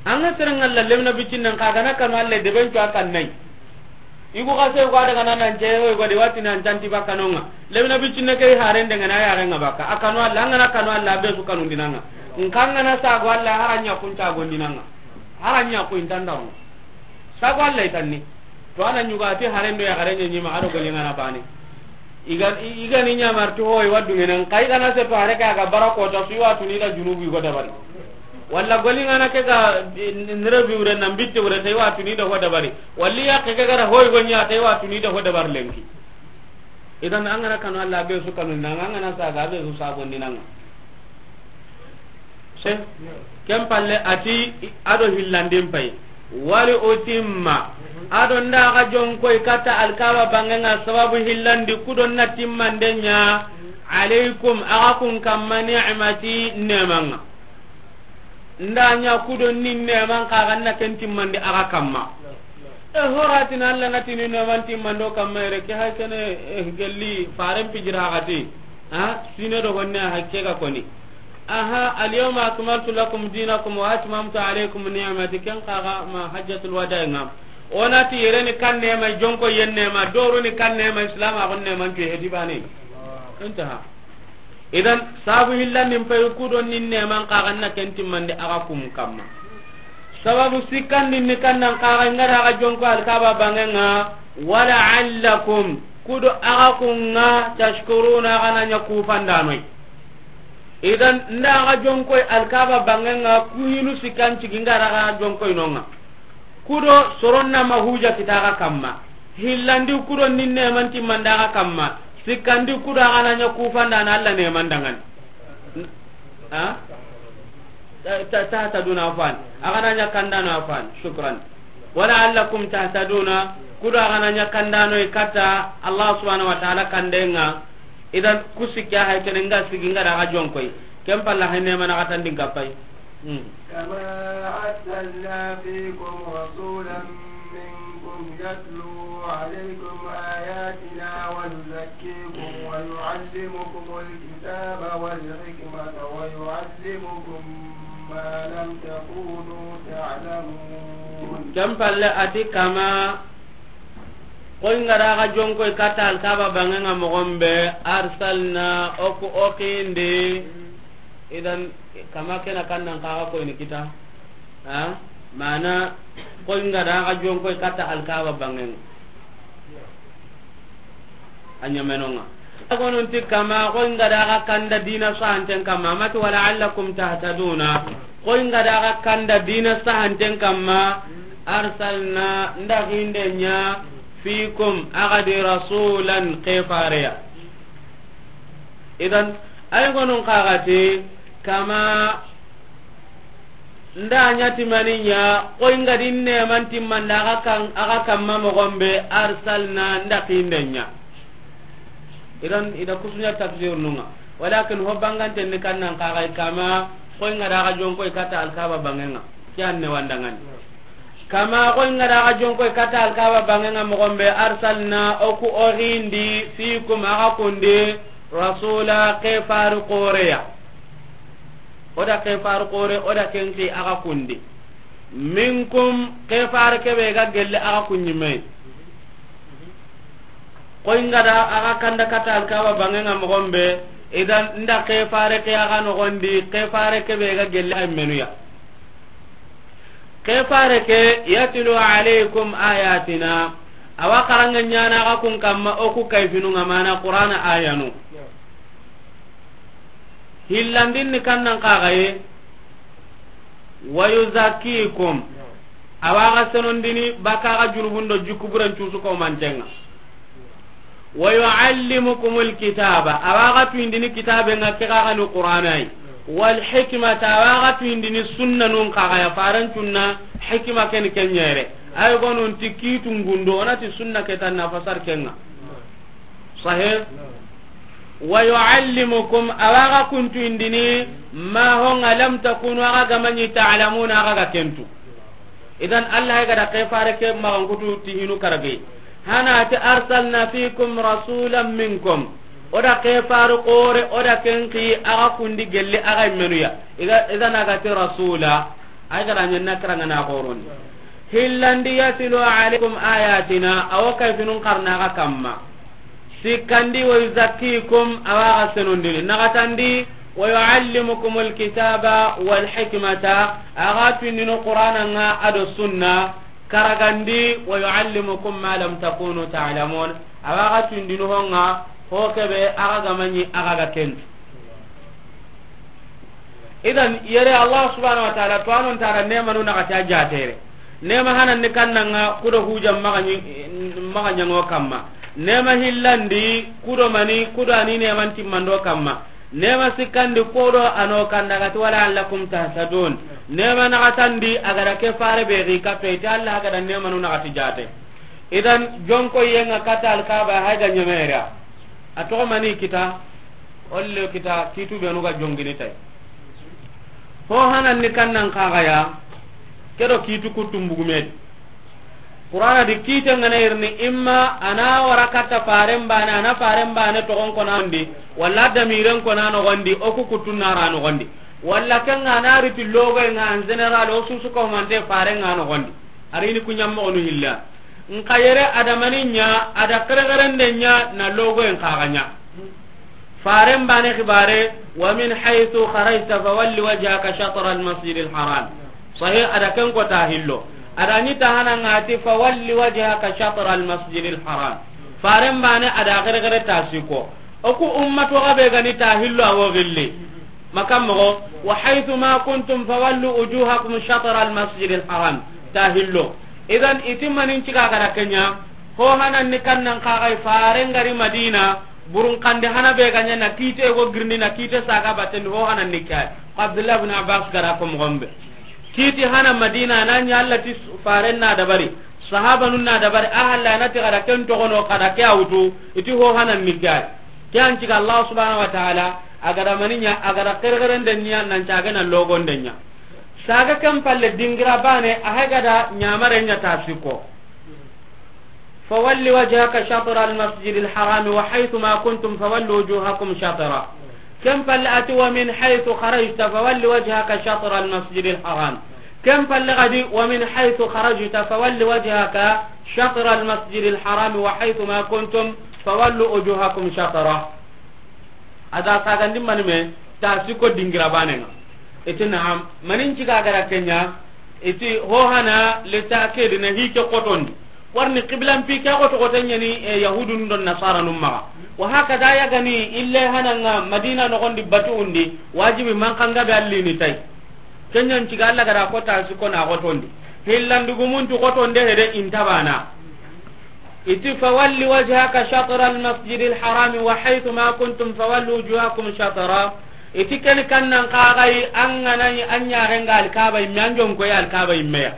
Anga seren Allah lemna bicin nan kagana kanu Allah de ben to akannai. Igu kase go daga nan je ho go de wati nan tanti bakanonga. Lemna bicin ne ke haren de ngana yare nga baka. Akanu Allah, angana kanu Allah be su kanundinanga. Nkangana sago Allah haranya kunta gondinanga. Haranya ku intandawo. Sago Allah itanni. To, ana ɲuga ti harendo ya harenya ɲima ado golingana bane. Iga, i-, igani ɲamarti hoy waddu ngenen, kai gana se to hare ka ga bara ko ta suwa tuni da junubu go dabari. Walla golingana ke ga, eh, nrebi wure nan bitte wure tay wa tuni da ho dabari. Walli ya ke ga ra hoy go ɲa tay wa tuni da ho dabar lenki. Idan angana kanu Allah be su kanu nanga, angana saga be su sago ninanga. Se, ken palle ati ado hillandin pay. Wali utimma, ado nda ga jonkoy kata Alkaba bangenga sababu hillandi kudon na timmandenya, alaykum, aga kun kamma ni'mati nemanga. Nda nya kudon nin neman ka ganna ken timmandi aga kamma. E horatina Allah na tini neman timmando kamma ere ke hay kene, eh, gelli faren pijira gati. Ha, sine do honne hakke ga koni. Aha, al-yawma akmaltu lakum dinakum wa atmamtu alaykum ni'mati, ken kaga ma hajjatul wada'i ngam. Onati yereni kanne ma jonko yenne ma doruni kanne ma islam a gonne man ke hedi bane. Intaha. Idan, sabu hillan nin pay kudon nin neman kaga na ken timmandi aga kum kamma. Sababu sikkandi ni kannan kaga ngara aga jonko Alkaba bangenga, wala allakum, kudo aga kunga tashkuruna, aga na nya kufandanoy. Idan, nda aga jonkoy Alkaba bangenga, kuhinu sikkan cigi ngara aga jonkoy nonga. Kudo soronna ma huja kitaga kamma. Hillandi kudo nin neman timmandaga kamma. Sikkandi kudo aga na nya kufandana Allah neman dangan. Ha? Ta, ta, tahtaduna afwan. Aga na nya kandana afwan. Shukran. Wala allakum tahtaduna. Kudo aga na nya kandano ikata Allah subhanahu wa ta'ala kandenga. Idan, kusikya hay kene nga sigi nga daga jonkoy. Ken palla hay nemana katandin kapay. Hmm. كما أرسلنا فيكم رسولا منكم يتلو عليكم آياتنا ويزكيكم ويعلمكم الكتاب والحكمة ويعلمكم ما لم تكونوا تعلمون. Ken palle ati kama, koy nga daga jonkoy kata Alkaba bangenga mogon be, arsalna, oku okindi, Idan, kama ke na kannan kaxa koyini kita, ha? Mana, koy nga da ga jon koy katta Alkaaba banŋen ŋa. A ɲameno ŋa. A gonun ti kama, koy nga da ga kanda dina sahanten kamma, a ma ti, "Wa la'allakum tahtaduna." Koy nga da ga kanda dina sahanten kamma, arsalna, nda xinde ɲa, fikum, a ga di rasulan, ke fare ya. Idan, ay gonun kaxa ti, kama nda ɲa timani ɲa, koy nga di neman timmanda a ga kan, a ga kamma moxon be, arsalna, nda xinde ɲa. Idan, i da kusuɲa takdirnun ŋa. Walakin ho banganten ni kannan kaxa kama, koy nga da ga jon koy katta Alkaaba banŋen ŋa. Ke an ne wandangani. Kama koy nga da ga jon koy katta Alkaaba banŋen ŋa moxon be, arsalna, o ku o xindi, fikum, a ga kundi, rasula, ke fare xore ya. O da ke fare xore, o da ken xi a ga kundi. Minkum, ke fare ke be ga gelle a ga kunɲi me. Koy nga da a ga kanda katta Alkaaba banŋen ŋa moxon be, idan nda ke fare ke a ga noxon di, ke fare ke be ga gelle a menu ya. Ke fare ke, yatlu alaykum ayatina, a wa xaranŋa ɲaana a ga kun kamma o ku kayfinun ŋa, mana Qur'ana ayanu. Hillandin ni kannan kaxa ye, wa yuzakkikum, a wa ga senondini baka ga junubun do jikku buren cusu ko manten ŋa. Wa yuallimukumul kitaba, a wa ga tuindini kitabe ŋa, ke ga ni Qur'ana yi. Wal hikmata, a wa ga tuindini sunnanun kaxa ya, faran cunna hikma ken ken ɲere. Ay gonun ti kitu ngundo, o na ti sunna ke tan na fasar ken ŋa. Sahih. Wa yuallimukum, a wa ga kun tuindini, ma ho ŋa lam takunu, a ga ga maɲi ta'lamuna, a ga ga ken tu. Idan Allah ga da ke fare ke maxan kutu ti hinu karage. Hana ti arsalna fikum rasulan minkum. O da ke fare xore, o da ken xi a ga kundi gelle a ga menu ya. Iga, idan a ga ti rasula. Ay ga da ɲanna karanga na xoroni. Hillandi, yatlu alaykum ayatina, a wo kayfinun xarana a ga kamma. Sikkandi, wa yuzakkikum, a wa a ga senondini. Naxatandi, wa yuallimukumul kitaba wal hikmata, a ga tuindini Qur'ana ŋa a do sunna. Karagandi, wa yuallimukum ma lam takunu ta'lamun, a wa a ga tuindini ho ŋa, ho ke be a ga ga maɲi a ga ga ken tu. Idan, yere Allah subhanahu wa ta'ala, to anon tara nemanu naxati a jatere. Nema hanan ni kannan ŋa, kudo hujan maxa ɲi-, maxa ɲaŋo kamma. Nema hillandi, kudo mani, kudo ani neman timmando kamma. Nema sikkandi, kodo ano kanda ga ti, wa la'allakum tahtadun. Nema naxatandi, a ga da ke fare be xi kappe, iti Allah a ga da nemanu naxati jate. Idan, jonko yenga kata Alkaba, hay ga ɲemera. A toxo mani kita, olle kita, kitu benu ga jongini tay. Ho hanan ni kannan kaga ya, kedo kitu kutum bugumedi. Qur'ana di kite ngana irni imma ana wara katta faren bane, ana faren bane toxon kona noxondi, walla damiren kona noxondi, oku kutun nara noxondi. Walla kenga ana riti logo nga en general o susu ko mante faren nga noxondi. Arini kuɲammoxonu hilla. Nka yere adamani ɲa, ada xerexerende ɲa, na logoyen xaxa ɲa. Faren bane xibare, wa min haythu kharajta fawalli wajhaka shatra al-masjid al-haram. Sahih, ada ken ko ta hillo. Ada ni ta hana ngati fawalli wajhaka shatra al-masjid al-haram. Faren bane ada xerexere ta siko. Oku ummato gabe gani ta hillo awo gilli. Makam mogo, wa haythu ma kuntum fawallu wujuhakum shatra al-masjid al-haram. Ta hillo. Idan iti manin ciga gara kenya, ho hanan ni kannan kagai faren gari Madina, burun kande hana be ganya na kite go girni na kite saga baten ho hanan ni kay. Abdullah ibn Abbas gara ko mogombe. Kiti hana Madina na nya Allah ti faren na dabari. Sahabanun na dabari ahalla na ti gara ken to gono kada ke awtu, iti ho hanan ni kay. Ke an ciga Allah subhanahu wa ta'ala, a gada maninya, a gada xerexerende ɲa, nan caga na logonde ɲa. Saga ken palle dingira bane, a hay gada ɲamare ɲa ta siko. Fawalli wajhaka shatra al-masjid al-haram wa haythu ma kuntum fawallu wujuhakum shatra. Ken palle ati wa min haythu kharajta fawalli wajhaka shatra al-masjid al-haram. Ken palle gadi, wa min haythu kharajta fawalli wajhaka shatra al-masjid al-haram wa haythu ma kuntum fawallu wujuhakum shatra. Ada sagandi manime, ta siko dingira banen ŋa. I ti naam, mani n ciga gara ken ɲa, i ti ho hana le ta ke dina hi ke xotondi. Warni qiblan pi ke xoto xoto ɲa ni, e, Yahudun do Nasaranun maxa. Wa haka da ya gani ille hanan ŋa Madina noxondi batu undi, wajibi man xanga be alli ni tay. Ken ɲa n ciga Alla gara ko ta siko na xotondi. Hillandugumun tu xotonde hede inta bana. I ti, "Fawalli wajhaka shatra al-masjid al-haram wa haythu ma kuntum fawallu wujuhakum shatra." I ti ken kannan kaxay an ga na ɲi an ɲaxen ga Alkaba yimme, an jonko ya Alkaba yimme ya.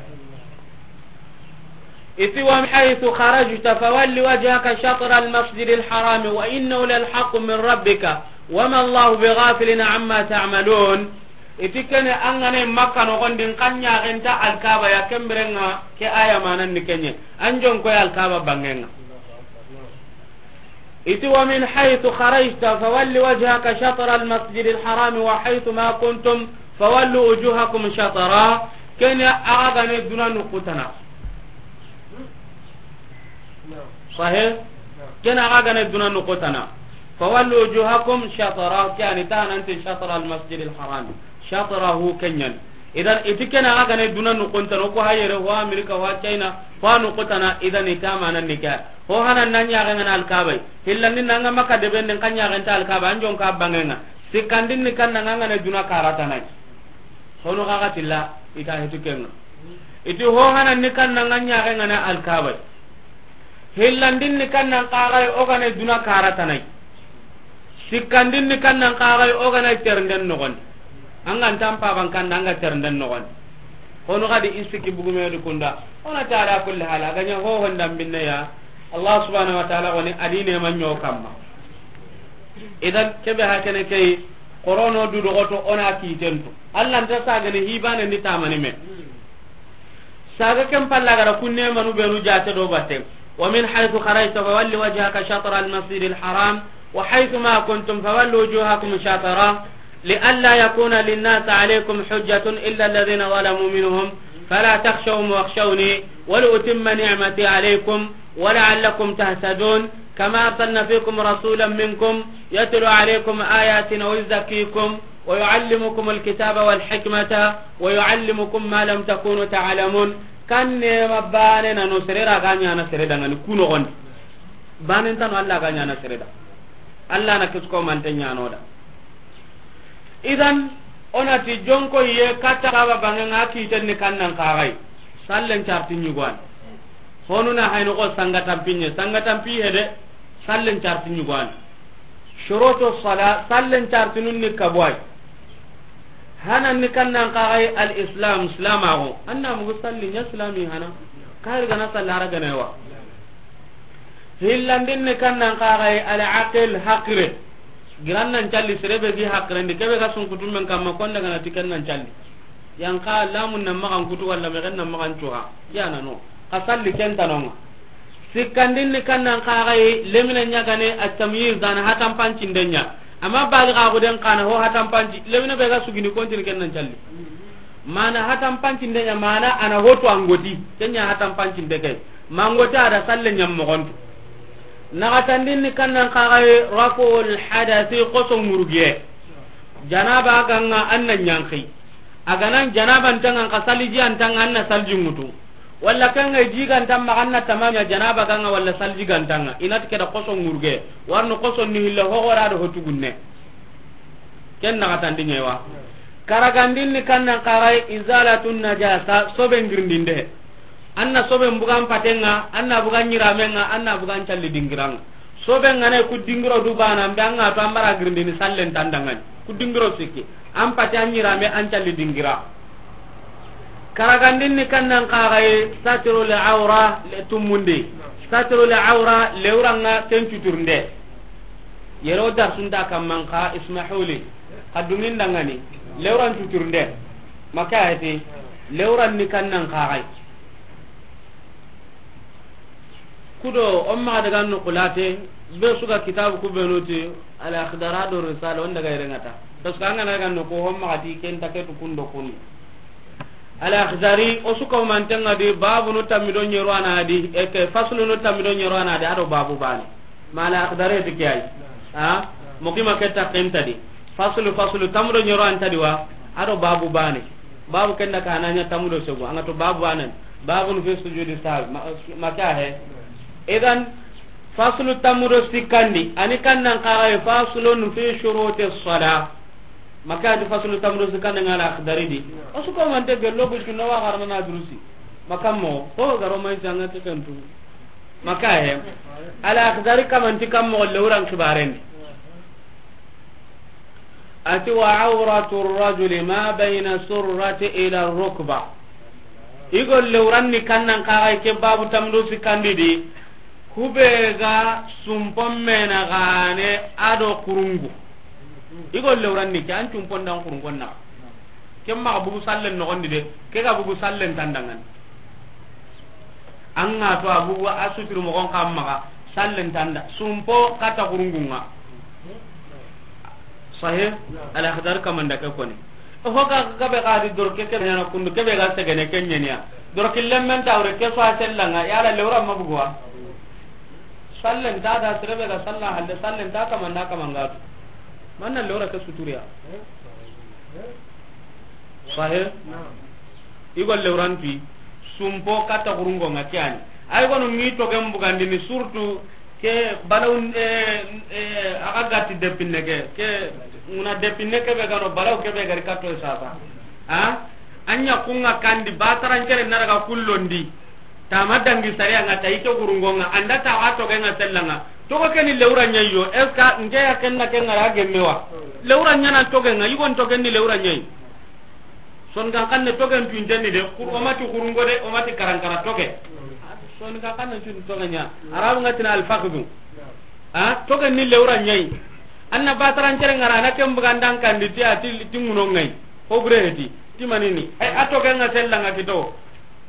I ti, "Wa min haythu kharajta fawalli wajhaka shatra al-masjid al-haram wa innahu lal haqqu min rabbika wa ma Allahu bighafilin amma ta'malun." I ti kene an ga na Makka noxondi n kan ɲaxen ta Alkaba ya, ken biren ŋa ke aya manan ni ken ɲa, an jonko ya Alkaba bangen ŋa. I ti, "Wa min haythu kharajta fawalli wajhaka shatra al-masjid al-haram wa haythu ma kuntum fawallu wujuhakum shatra." Kene a ga gane duna nuqutana. Sahih? Ken a ga gane duna nuqutana. "Fawallu wujuhakum shatra," ke ani ta nanti shatra al-masjid al-haram. Shatrahu ken ɲa ni. Idan, i ti ken a ga gane duna nuqutana, ko hayere, ho Amerika, ho China, ho nuqutana, idan i ta manan ni ke. Ho hanan na ɲaxen ŋa na Alkaba yi. Hillandi na an ga Makka deben di n kan ɲaxen ta Alkaba, an jonko bangen ŋa. Sikkandin ni kannan ŋa an ga na duna karatanay. Hono kaga tilla, i ta hetu ken ŋa. I ti ho hanan ni kannan ŋa ɲaxen ŋa na Alkaba yi. Hillandin ni kannan kaxay o ga na duna karatanay. Sikkandin ni kannan kaxay o ga na ternden noxondi. An ga nta n paban kanda an ga ternden noxondi. Hono gadi i sikki bugume di kunda. O na ta ala kulli hala, a ga ɲa ho hondan binne ya. Allah subhanahu wa ta'ala woni adine ma ɲo kamma. Idan kebe hakene kay, qorono du dogoto o na kitentu. Allah nta sagane hibane ndi tamani me. Saga ken palla gara kunne manu benu jate do batte. "Wa min haythu kharajta fawalli wajhaka shatra al-masjid al-haram wa haythu ma kuntum fawallu wujuhakum shatrah li alla yakuna lin-nasi alaykum hujjatun illa alladhina zalamu minhum fala takhshawhum wakhshawni wa li utimma ni'mati alaykum wa la'allakum tahtadun kama arsalna fikum rasulan minkum yatlu alaykum ayatina wa yuzakkikum wa yu'allimukum al-kitaba wal hikmata wa yu'allimukum ma lam takunu ta'lamun." Kan nema bane na no sere ra ga ɲana sere dangani ku noxondi. Bane ntano Allah ga ɲana sere da. Allah na kisko mante ɲano da. Idan, o na ti jonko ye katta Kaba bangen ŋa kiten ni kannan kaxay. Sallen carti ɲugo ani. Honu na hayno ko sanga tampi ɲa, sanga tampi hede, sallen carti ɲugo ani. Shurutu sala, sallen cartinun ni kabuway. Hanan ni kannan kaxay al-islam, silamaxo. An na mugu salli ɲa silami hana. Kayri gana salli ara gana wa. Hillandin ni kannan kaxay al-aqil, haqire. Giran nan calli, sere be gi haqirendi, kebe ga sunkutu men kamma, konda gana ti ken nan calli. Yanka lamun nan maxan kutu walla mexen nan maxan cuxa. Yana no. Xa salli ken tanonga. Sikkandin ni kannan kaxay lemine ɲagane at-tamyiz, ana hatan pancinde ɲa. Amma bali ga guden kana ho hatan panci, lemine be ga sugini kontini ken nan calli. Mana hatan pancinde ɲa, mana ana hotu angoti, ken ɲa hatan pancinde ke. Mangoti ada salle ɲam mogontu. Naxatandin ni kannan kaxay raful hadasi, koso ŋurugiye. Janaba ganga anna ɲanxi. Aganan janaba ntanga ka saliji antanga anna salji ŋutu. Walla kanga jiga ntamma anna tamanya janaba ganga walla salji gantanga. Inat keda koso ŋurge. Warno koso ni hilla hogora do hotugunne. Ken naxatandi ɲewa. Karagandin ni kannan kaxay izalatun najasa, sobe ngirindinde. Anna sobe mbugan patenga, anna bugan ɲiramenga, anna bugan calli dingiranga. Sobe ngane ku dingiro du bana mbe anga to ambara girindini sallen tandangani. Ku dingiro sikki. An pate an ɲirame an calli dingira. Karagandin ni kannan kaxay satrul awra le tumundi. Satrul awra lewranga ken cuturunde. Yero darsunta kamman ka ismahuli. Ka dungin dangani. Lewran cuturunde. Maka heti. Lewran ni kannan kaxay. Kudo, on maxa daga nukulate, be suga kitabu ku benuti, al-Akhdari do Risala, on daga irengata. Parce que an gana ga nuku, on maxa ti ken ta ketu kundo kun. Al-Akhdari, o suka mantenga di, babu no tamido nyero anadi, e ke faslu no tamido nyero anadi, ado babu bani. Ma al-Akhdari ti kiyai. Ha? Mokima ketta kenta di. Faslu, faslu, tammu do ɲoro an ta di wa, a do babu baane. Babu ken da ka na ɲa tammu do segu, an ga to babu baane, babun fi sujudi sahwi, ma, ma ka he. Idan, faslu tammu do sikkandi, a ni kannan xaxa yi, faslun fi shuruti sala. Ma ka ti faslu tammu do sikkandi ŋa Al-Akhdari di. O su ko mante gello bu cunno wa xarana na durusi. Ma kammo, ho garo mai tanga ti kentu. Ma ka he. Al-Akhdari kamanti kammo lewran xibarendi. A ti, "Wa awratu rajuli ma bayna surrati ila rukba." I go lewran ni kannan xaxa yi ke babu tammu do sikkandi di, kube ga sumpon mena gane a do kurungu. I go lewran ni ke an cumpon dan kurungon na. Ke maxa bugu sallen noxondi de, ke ga bugu sallen tandangan. An ga to a bugu a suturu moxon xa maxa, sallen tanda, sumpo kata kurungunga. Sahih, Al-Akhdar kamanda ke koni. Ho ga gabe ga di doroke ke ɲana kundu, ke be ga segene ke ɲeniya. Doroki lemmen tawre ke so a sellanga, yala lewra ma buguwa. Sallen ta da sere be ga salla halle, sallen ta kamanda kamangatu. Manna lewra ke suturiya. Sahih? I go lewranti, sumpo kata kurungonga ke ani. Ay gonu ngi to gem bugandini, surtout ke balaw, eh, eh, aga gatti depinne ke, ke muna depinne ke be gano balaw ke be gari katto sasa. Ha? Anya kunga kandi batarankere naraga kullondi. Tama dangi sariya nga ta ike gurungonga, anda ta wa toge nga sellanga. Togo ke ni lewra ɲayi yo, est-ce que nke ya kenna ke nga ra gemme wa? Lewra ɲana toge nga, yigon toge ni lewra ɲayi. Son kan kanne togen pintenni de, kur-, o mati kurungo de, o mati karankara toge. Son kan kanne tun toge ɲa. Arabu nga tina al-fakhdu. Ha? Togen ni lewra ɲayi. Anna batarankere nga ra na ken bugandan kandi ti ati ti ŋuno ŋayi. Ko bure heti. Ti manini. Ay, a toge nga sellanga kito.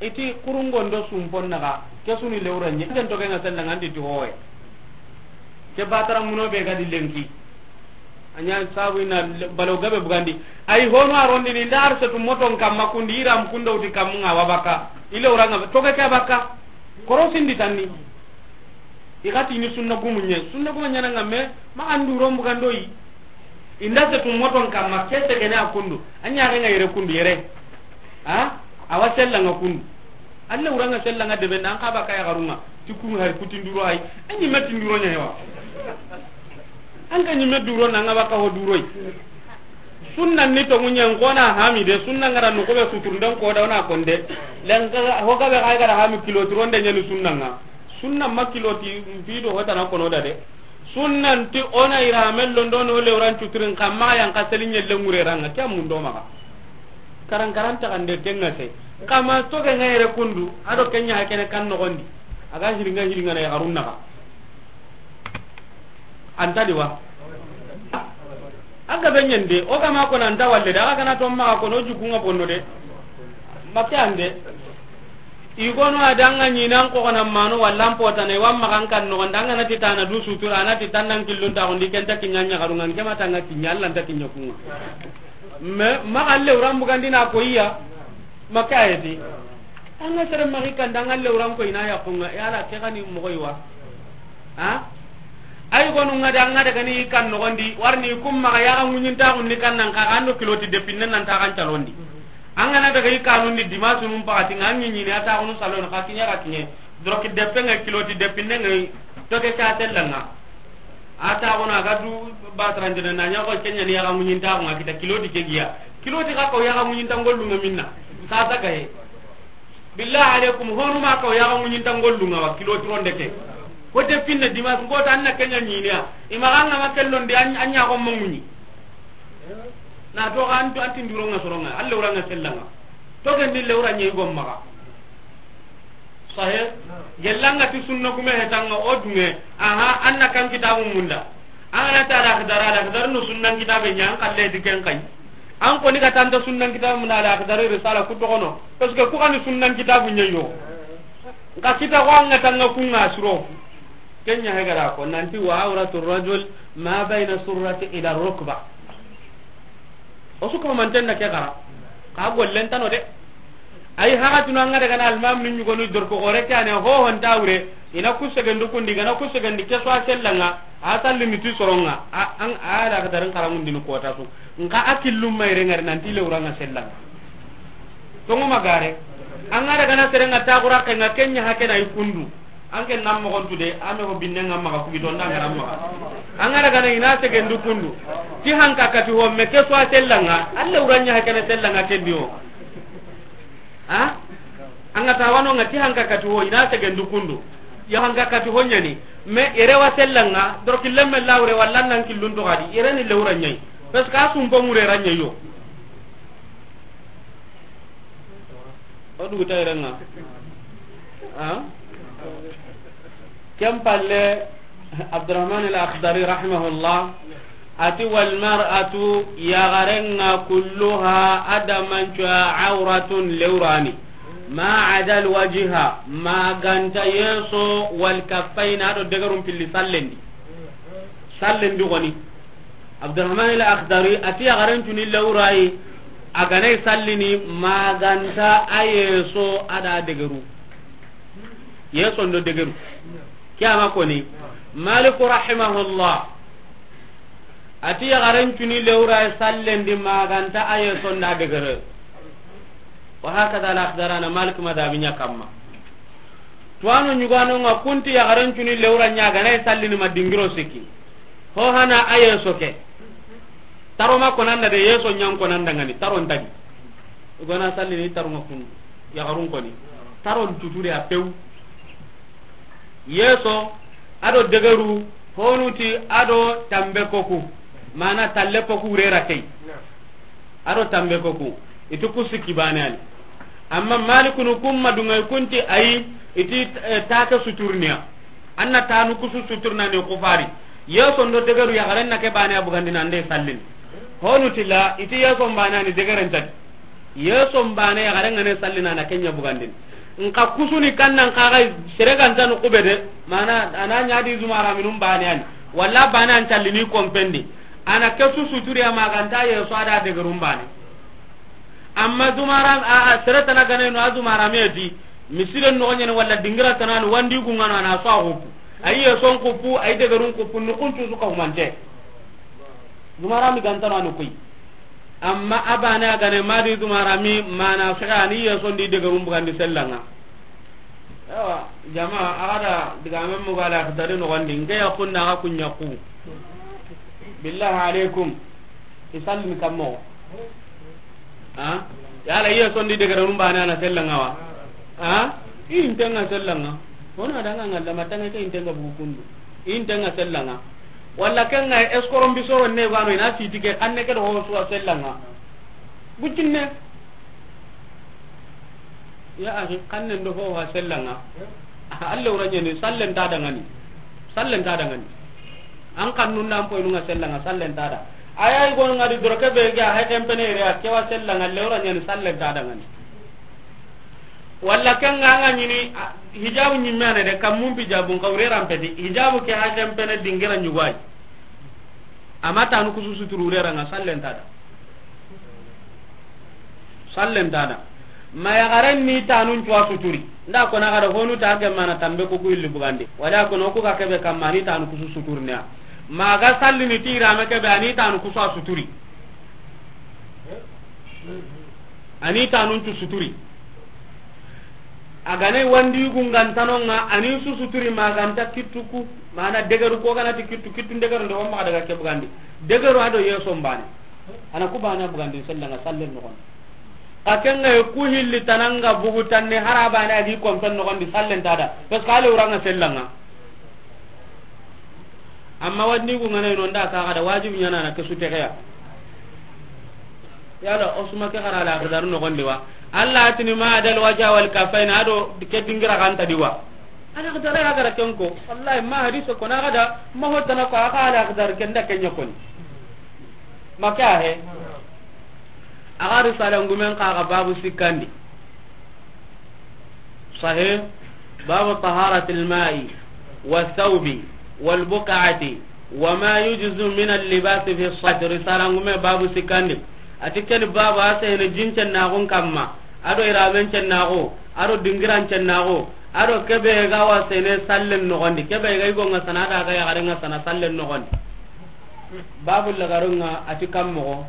Iti kurungon do sumpon naga, ke suni lewra ɲe. Ken toge nga sella nga ndi ti hoye. Ke batara muno be gadi lenki. Anya sabu ina le-, balo gabe bugandi. Ay hono a rondini nda arsetu moton kamma kundi iram kundo uti kammu nga wabaka. I lewra nga toge ke baka. Korosindi tanni. I gati ni sunna gumu ɲe. Sunna gumu ɲana nga me, ma andu rombu gandoyi. Inda se tu moton kamma, ke segene a kundu. Anya renga yere kundu yere. Ha? Awa sellanga kundu. Alle uranga sellanga debe nan ka baka ya garunga. Ti kun hay kutinduro hay. Anyi metinduro nya hewa. An ka nyi meduro na nga baka ho duroi. Sunna ni to munyen kona hami de, sunna ngara no ko be sutur ndan ko da ona konde. Lenga ho ga be ga gara hami kilo turonde nyani sunna nga. Sunna ma kilo ti bido hota na kono da de. Sunnanti ona ira mello ndono lewran cuturin kamma yan ka selin yelle ngure ranga ke mundo maga. Karan karan ta kande kenga se. Kama toge ngayre kundu, ado kenya hakene kan nogondi. Aga hiringa hiringa na ya garunna ka. Anta diwa. Aga benyende, o kama ko nan tawalle da, aga na to maga ko no jukunga bonno de. Makke ande. Igono adanga ɲinan ko gana mano wallan potana wa magan kan no ndanga na titana du sutura na titannan killun ta gondi kenta kinyanya garungan kema tanga kinya Allah nta kinya kunga. Me ma alle uram bugandina ko iya. Makka ayeti. Anga sere magi kan danga alle uram ko ina ya kunga ya la ke gani mo koywa. Ha? Ay gonu nga da nga daga ni kan no gondi warni kum maga ya ga munyinta gunni kan nan ka ando kiloti depinne nan ta kan calondi. An gana daga i kanundi dimanche num pakati nga an ɲiɲini a taxunu salon xa kiɲe xa kiɲe. Doroki deppe nga kiloti deppinde nga toke ca tellanga. A taxunu a ga du batarandina na ɲa ko kenya ni yaxa muɲintaxu nga kita kiloti ke giya. Kiloti xa kaw yaxa muɲinta ngollu nga minna. Sasa gaye. Billahi alaikum, honu ma kaw yaxa muɲinta ngollu nga wa kiloti ronde ke. Ko deppinde dimanche ngota anna kenya ɲiniya. Imaxa nga ma kellondi an ɲa ko manguɲi. Na to an to antin duronga soronga, alle uranga sellanga. To ke ni le uranya igo maga. Sahe, gellanga ti sunna gume hetanga o dunge, aha, anna kan kitabu munda. An gana ta Al-Akhdar, Al-Akhdar no sunnan kitabe nya, an kalle di ken kai. An ko ni ka tanta sunnan kitabu munda Al-Akhdar risala ku to kono. Parce que ku kan sunnan kitabu nya yo. Ka kita ko an ga tanga ku nga suro. Kenya hegara ko nanti wa auratu rajul ma baina surrati ila rukba. O su ko manten na ke gara. Ka gollen tano de. Ay haga tuna nga daga na almam ni nyugo ni dor ko gore kane ho hon tawre. I na ku segendu kundi, i ga na ku segendi ke su a sellanga, a sallini ti soronga, a, an, a da ka darin xarangundini kota su. Nka a killum mayre ngari nanti lewuranga sellanga. Tongo magare. An ga daga na serenga taxura kenga kenya hakena i kundu. An ke nan moxon tu de, a me ho binne nga maxa kugi to nda ngara maxa. An ga daga na i na segendu kundu. Ti hanka kati ho me ke su a sellanga, a lewuranya hakena sellanga kendi ho. Ha? An ga ta wano nga ti hanka kati ho, i na segendu kundu. Ya hanka kati ho nyani. Me ere wa sellanga, doroki lemme lawre walla nan killun to gadi. Ere ni lewura nyai. Parce que a sumpo mure ra nyai yo. O dugu ta ere nga. Ha? Ken palle, Abdurrahman al-Akhdari rahimahullah, ati, "Wal mar'atu, yaxarenga, kulluha, adamancuwa, awratun, lewrani, ma ada al-wajha, ma ganta yeso, wal kaffayn, a do degerun pilli sallendi." Sallendi goni. Abdurrahman al-Akhdari ati, yaxarencuni lewrayi, a ganai sallini, ma ganta a yeso a da degeru. Yeso ndo degeru. Kiyama koni. Maliku rahimahullah. Ati yaxarencuni lewrayi sallendi ma ganta a yeso nda degere. Wa hakada al-Akhdari, a na Malik madhabi nya kamma. Tuwano ñugano nga kunti yaxarencuni lewra ña gana i sallini ma dingiro sikki. Ho hana a yeso ke. Taro ma konanda de, yeso ñan konanda ngani, taro ntagi. Gona sallini taro ma kun, yaxarun koni. Taro tuturi a pew. Yeso, ado degeru, honuti, ado tambe koku. Mana talle koku rera kei. Ado tambe koku. Itu ku sikki bane ani. Amma Malikunu kumma dungay kunti ayi, iti, eh, take suturniya. Anna tanu kusu suturna ni kufari. Yeso ndo degeru yaxaren na ke bane a bugandina ande sallin. Honu tilla, iti yeso mbane ani degeren tadi. Yeso mbane yaxaren ngane sallina na kenya bugandin. Nka kusuni kannan kaga sere gantanu kubede, mana ana ñadi zumara minum bane ani. Walla bane an tallini kompendi. Ana kesu suturi a maganta yeso ada degerum bane. Amma zumara, a, a, sere tana gane no a zumara meti, misire no ñene walla dingira tana no wandi gungano ana so a hupu. Ayi yeson kupu, ayi degerun kupu, no kuntu suka humante. Zumara mi gantano no kuy. Amma a bane a gane madi zumara mi mana sega ni yeson di degerun bugandi sellanga. Ewa, jama, a ga da digamen mugu Al-Akhdari noxondi, nke ya kunna a ga kunya ku. Billahi alaikum, i sallini kammo. Ha? Yala iya sondi degere num bane ana sellanga wa? Ha? I intenga sellanga. Hona danga ngalla matanga ke intenga bugu kundu. I intenga sellanga. Walla kenga eskoron bisoro ne gano ina sitike kanne ke do ho suwa sellanga. Bucinne. Ya axi, xannen do fo wa sellanga. Alle wura ñani, sallen ta dangani. Sallen ta dangani. An xannun da an poyinun ŋa sellanga, sallen ta da. Aya i gonu ŋa di doroke be ga hay tempene re a kewa sellanga, alle wura ñani, sallen ta dangani. Walla kenga ŋa ñini, a, hijabu ñimme ane de, kammun hijabu, nka wure rampeti. Hijabu ke hay tempene dingira ñugwai. Ama tanu kusu suturu wure ranga, sallen ta da. Sallen ta da. Ma yaxaren ni tanun cuwa suturi. Nda kona xada honu ta ke mana tambe ko ku illi bugandi. Wala kono ku ga kebe kamma ni tanu kusu suturi ne. Ma ga sallini ti rame kebe ani tanu kusu a suturi. Ani tanun cu suturi. A gane wandi gungantanonga ani su suturi maganta kittuku. Mana degeru ko ganati kittu, kittu degeru ndo wamba daga ke bugandi. Degeru ado yeso mbane. Ana ku bana bugandi sellanga, sallen no. Ka kenga ku hilli tananga bugu tanne harabane agi kompen no gondi sallen tada. Parce que ale uranga sellanga. Amma wandi ku ngana ino nda ka gada wajibi ñana na kesu tegeya. Yala osuma ke xara la gadar no gondi wa. Allah atini ma adal waja wal kafain ado ke dingira kan tadi wa. Ala gadar ya gara kenko. Wallahi ma hadise ko na gada ma hotana ko aka ala gadar kenda kenya koni. Maka he. Aga risala ngumen kaga babu sikkandi. Sahih. Babu taharatil ma'i wa thawbi wal buq'ati wa ma yujzu min al libasi fi sahih. Risala ngume babu sikkandi. Ati ken babu a sehene jincennaxun kamma, ado irabencennaxu, ado dingirancennaxu, A do kebe ga wasene sallen noxondi, kebe ga yigo ŋa sana, a da ga yaxare ŋa sana sallen noxondi. Babu lagarun ŋa a ti kan moxo.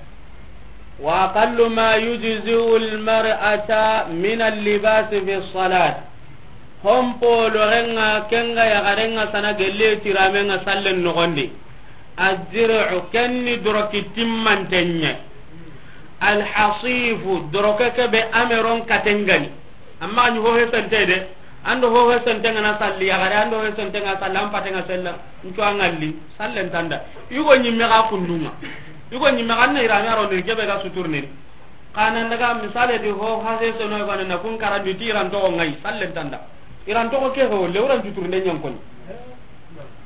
Wa aqallu ma yujzi'u al-mar'ata min al-libas fi as-salat. Hon poloxen ŋa ken ga yaxaren ŋa sana gelle tiramen ŋa sallen noxondi. Az-zir'u, ken ni doroki timmanten ɲa. Al-hasifu, doroke kebe a meron katen ga ni. Amma a ɲi ho hesante de. An do ho hesante ŋa na salli yaxare, an do ho hesante ŋa salli, an pate ŋa sella. Nco a ŋalli, sallen nta an da. Yigo ɲimme ga kundun ŋa. Yigo ɲimme ga na yirame a ro ni kebe ga suturni. Xa nan daga misale di ho hase sono, i gana na kun karandi ti i ran toxo ŋa yi, sallen nta an da. I ran toxo ke ho, lewran cuturunde ɲa n koni.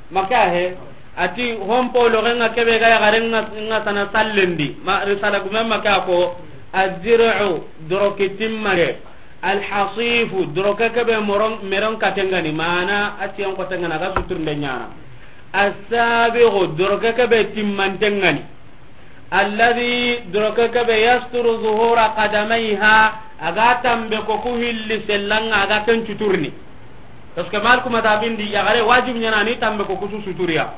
Maka he, a ti hon poloxen ŋa kebe ga yaxaren ŋa, ŋa sana sallen di. Ma, risala gumen maka ko, az-zir'u, doroke timmare, al-hasifu, doroke kebe moron, meron katen ga ni, mana a tiyen koten ga na ga suturunde ɲaana. As-sabighu, doroke kebe timmanten ga ni. Alladhi, doroke kebe, yasturu zuhura qadamayha, a ga tambe ko ku hilli sellan ŋa, a ga ken cuturni. Parce que Maliku mazhabin di, yaxare wajib ɲa na ni tambe ko ku su suturiya.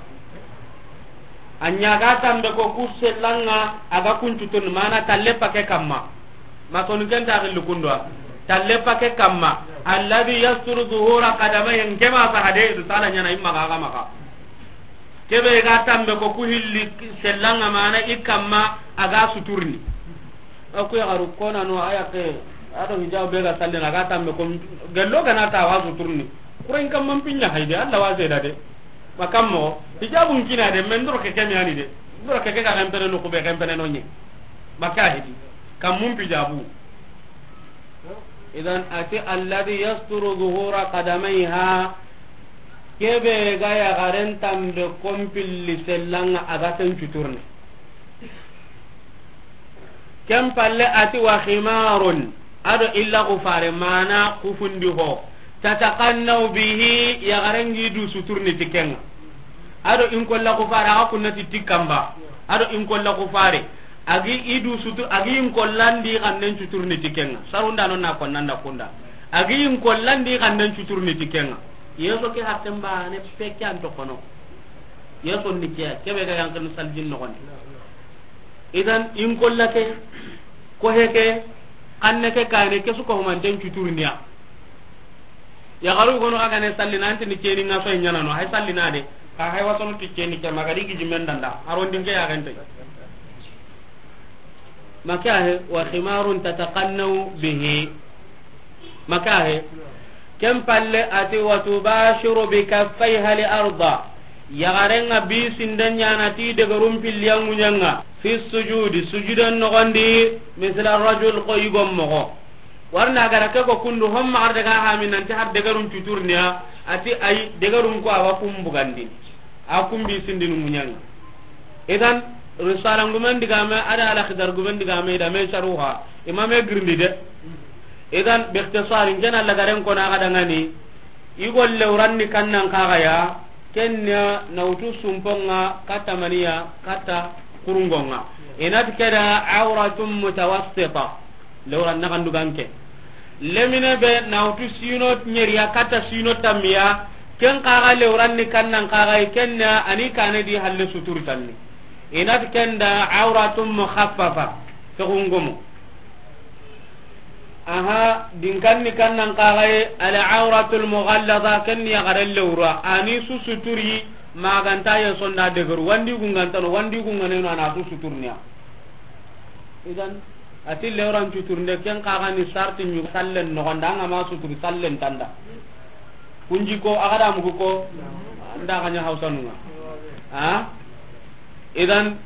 A ɲa ga tambe ko ku sellan ŋa, a ga kun cuturni, mana talle pake kamma. Ma sonu ken ta xilli kundwa. Talle pake kamma. Alladhi yasturu zuhura qadamayhi, nke ma sahade, risala ɲa na i maxa ga maxa. Kebe ga tambe ko ku hilli sellan ŋa, mana i kamma a ga suturni. A ku yaxaru kona no a yaqe, a do hijabu be ga sallina a ga tambe ko gello ga na ta wa suturni. Kuren kamman pinya hayde, Allah wa zeda de. Ma kammo, hijabun kina de, men doroke ke mi ani de. Doroke ke ga kempene no kube kempene no ɲi. Maka hidi. Kammun hijabu. Idan a ti, "Alladhi yasturu zuhura qadamayha", kebe ga yaxaren tambe ko n pilli sellan ŋa, a ga ken cuturni. Ken palle a ti, "Wa khimarun", a do illa kufare, mana kufundi ho, "tataqannau bihi", yaxaren gi du suturni ti ken ŋa. A do in kolla kufare, a ga kunna ti tikkamba. A do in kolla kufare. A gi i du sutu, a gi in kollandi xannen cuturni ti ken ŋa. Sarunda non na konnanda kunda. A gi in kollandi xannen cuturni ti ken ŋa. Yeso ke hatten bane peke an toxono. Yeso ni ke, kebe ga yankan saljin noxondi. Idan in kolla ke, ko heke, xanne ke kane, ke su ko humanten cuturniya. Yaxaru gono xa ga ne sallina, an ti ni keni ŋa so ɲaana no, hay sallina de. Xa hay wasono ti keni ke, ma ga ri gi jimen danda. A ro ndin ke ya gente. Maka he, "Wa khimarun tataqannau bihi". Maka he. Ken palle a ti, "Wa tubashiru bi kaffaiha al-arda". Yaxaren ŋa bisinden ɲaana ti degerun pilliya ŋuɲen ŋa. Fi sujudi, sujuden noxondi, misla rajul, ko yigon moxo. Warna gara ke ko kundu, hon maxa daga hami nanti har degerun cuturniya, a ti ay degerun ko a wa kun bugandini. A kun bisindini ŋuɲen ŋa. Idan, risala ngumen digame, a da Al-Akhdar gumen digame, i da me sharuha, i ma me girindi de. Idan, bi ikhtisar, n ke na lagaren ko na ga dangani, i golle wuranni kannan kaga ya, ken ɲa na wutu sumpon ŋa, katta maniya, katta kurungon ŋa. I na ti ke da awratun mutawassita. Lewran naxanduganke. Lemine be na wutu sino ɲeriya katta sino tammiya, ken kaga lewran ni kannan kaga, ken na a ni kane di halle suturu tanni. I na ti ken da awratun mukhaffafa, sexungomo. Aha, dinkan ni kannan kaga, al awratul mughallaza, ken ni yaxaren lewra, a ni su suturi, maganta ye sonda degeru, wandi gungantano, wandi gunganeno, a na su suturniya. Idan, a ti lewran cuturunde, ken kaga ni sarti ɲu sallen noxonda, an ga ma suturi sallen nta an da. Kunji ko, a ga da mugu ko, an da ga ɲa Hausanun ŋa. Ha? Idan,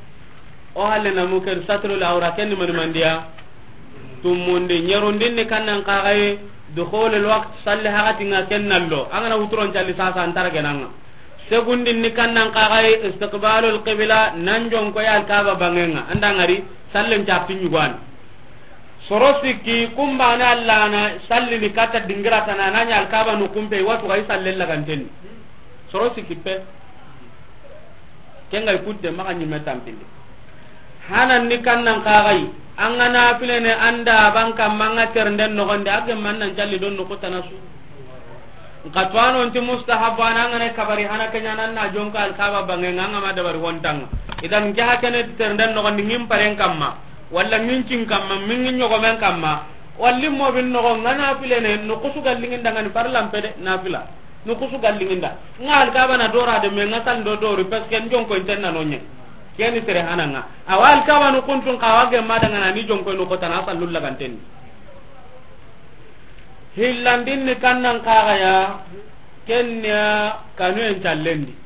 o halle na mu ken satrul awra, ken ni mani mandiya? Tumundi, ɲerundin ni kannan kaga ye, dukhulul waqt, salli hakatin ŋa ken nallo. An ga na wuturon calli sasa, an tara genanga. Segundin ni kannan kaga yi istiqbalul qibla, nan jonko ya Alkaba bangenga, an da ŋari sallen carti ɲugwani. Soro sikki, kumbane Allah na sallini katta dingira tana, na ɲa Alkaba no kumpe, watu ga i sallen lagantenni. Soro sikki pe. Kenga i kutte, maxa ɲimme tampindi. Hanan ni kannan kaga yi, an ga na filene an da ban kamma, an ga ternden noxonde, a gemma an nan calli don noxu tana su. Nxa tuwano nti mustahabu, a na ŋa na kabari hana ke ɲa na, na jonko Alkaaba banŋe ŋa, ŋa ma dabari hontanga. Idan ke hakene ternden noxondi, ŋin paren kamma, walla ŋin cin kamma, min ŋin ɲogomen kamma, walli mobin noxo ŋa nafile ne, nuxusu galliŋinda ŋa ni farlampe de, nafila. Nuxusu galliŋinda. Ŋa Alkaaba na dora de, me ŋa sal ndo dori, parce que n jonko inten na no ɲe. Keni sere hana ŋa. Awa Alkaaba nuxuntun xawa gemma dangana ni jonko nuxu tana sallu lagantenni. Hillandin ni kannan kaxaya, kenya kanuyen callendi.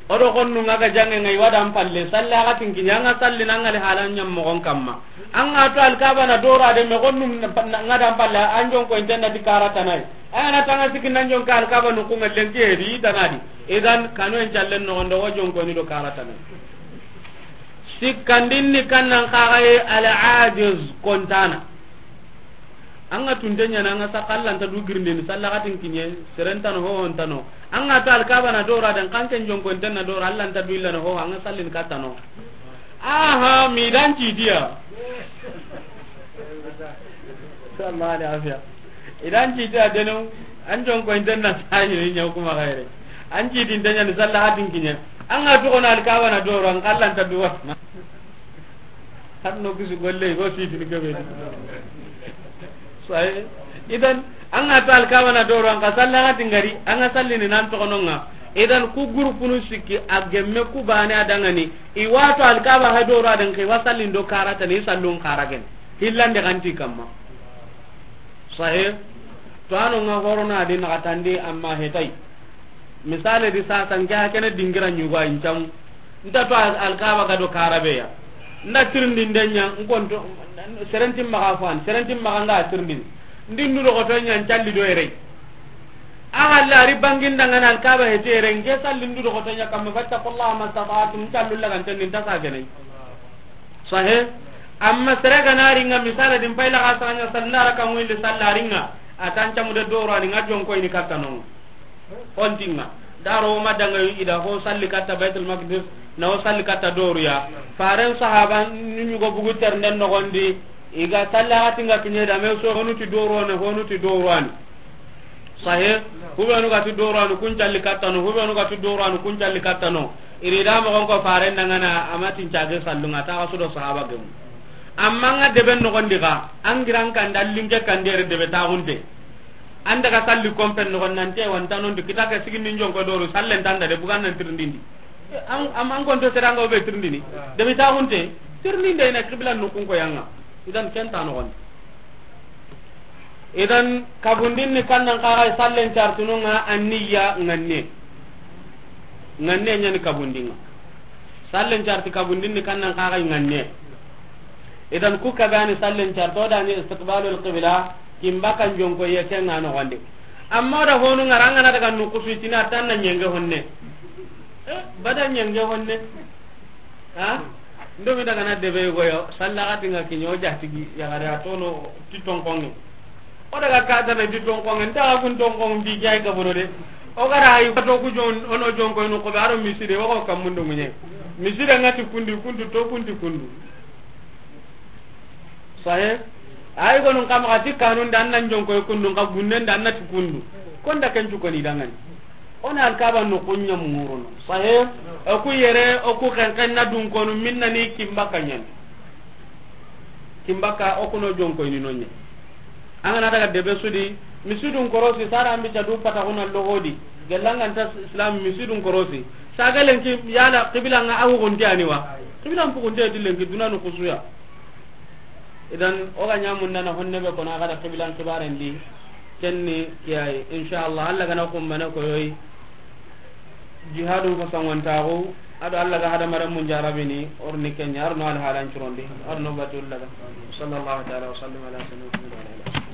Odo xonnu ŋa ga jange ŋa i wadan palle, salle a ga tinkiɲe, an ga salli na ŋa li halan ɲam moxon kamma. An ga to Alkaaba na dora de, me xonnu ŋa dan palle, an jonko inten na ti karatanai. An ga na tanga siki nan jonko Alkaaba nuxu ŋa lenki hedi tanadi. Idan kanuyen callen noxondo wo jonko ni do karatanai. Sikkandin ni kannan kaxaye, al ajiz, kontana. An ga tunte ɲana, an ga sa kallanta du girindini, sallakatin kiɲe, serentano, hohontano. An ga to Alkaaba na dora den, kanken jonko inten na dora, Alla nta du illana ho, an ga sallin kattano. Aha, mi dan citiya. Sallallahu alaihi wasallam. Idan citiya denu, an jonko inten na sahi ɲa kuma gaire. An citin tanya ni sallakatin kiɲe. An ga to kono Alkaaba na dora, an kallanta duwa. Har no kisi golle, go sitini kebe. Sahe. Idan, an ga to Alkaaba na doro, an ka sallakatin gari, an ga sallini nan toxononga. Idan, ku gurupunu sikki, a gemme ku bane a dangani, i wa to Alkaaba ha doro, a dan ke wa sallin do karatani, sallun karagen. Hillande ganti kamma. Sahe. To ano nga horona di na katandi, amma hetai. Misale di sasa, nke hakene dingira ɲugo a incamu. Nta to al-, Alkaaba ga do karabeya. Nda tirindinde ɲa, nkonto, serentin maxa fo an, serentin maxa nga tirindini. Ndi ndu doxoto ɲa, ncalli do yere. A halla ri bangindangana Alkaaba hete yere, nke salli ndu doxoto ɲa kamma, fattaqullaha mastata'tum, ncallu laganten ni nta sa genai. Sahe. Amma sere ga na ri nga misala din payla ga sanga salla raka ngwili salla ri nga. A tan camu de doro ani nga jonko ini katta no. Ontinga. Daro ma danga ida ho salli katta Baitul Maqdis, na ho salli katta doruya. Faren sahaba ni ɲugo bugu ternden noxondi. Iga salla katinga kiɲe da me so honu ti doro ne, honu ti doro ani. Sahe, hubenu ga ti doro anu kun calli kattano, hubenu ga ti doro anu kun calli kattano. Iri da moxon ko faren dangana, amatin cage sallunga, ta ga sudo sahaba gemu. Amma nga deben noxondi ga, an giran kan da linke kan dere debe taxunte. An daga salli kompen noxon nante, wantano ndi kita ke sigindin jonko doru, sallen tanda de, bugan nan tirindindi. An, am, an konto seranga o be tirindini. Debe taxunte, tirindinde ina qibla nukun ko yanga. Idan ken ta noxondi. Idan, kabundin ni kannan kaxay sallen cartununga anniya ŋanne. Ŋanne ɲani kabundinga. Sallen carti kabundin ni kannan kaxay ŋanne. Idan, ku kabani sallen carto dani istiqbalul qibla, kimba kan jonko ye kenga noxondi. Amma da honu ngara ngana daga nukusu itina tanna ɲenge honne. Eh, bada ɲenge honne. Ha? Ndomi daga na debe goyo, salla ga tinga kiɲo, jatigi, ya gare a tono, ti tonkonge. O daga ka dana ti tonkonge, nta ga kun tonkonge, bi jay ga bono de. O gara ay ko to ku jon, ono jonko ino ko be aro miside, o ko kamundo munye. Miside ngati kundi, kundu to kundi kundu. Sahe. Ay gonun kam ati kanun dan nan jonko kundu, ka gunnen dan na ti kundu. Konda ken cu koni dangani. Ona Alkaba no kunya muruno. Sahe. O ku yere, o ku kankan na dun konu minna ni kimbaka ɲan. Kimbaka o kuno jonko ini nonye. Angana daga debe sudi, misudun korosi, sara ambi cadu pata kuna lohodi. Gelanga nta Islam misudun korosi. Sagalen ki yala qibla nga awu gonti aniwa. Qibla mpukunte dilen ki dunanu kusuya. Idan, o ga ɲamundana honne be kono a ga da qiblan kibaren di, kenni kiyaye. Inshallah, Allah gana kumbane koyoyi. Jihadun fasangontaxu, ado Allah ga hadamaren mun jarabini, orni kenya, arno alhalan curondi, arno batul laga. Sallallahu ta'ala wa sallim ala sayyidina Muhammad wa ala alihi.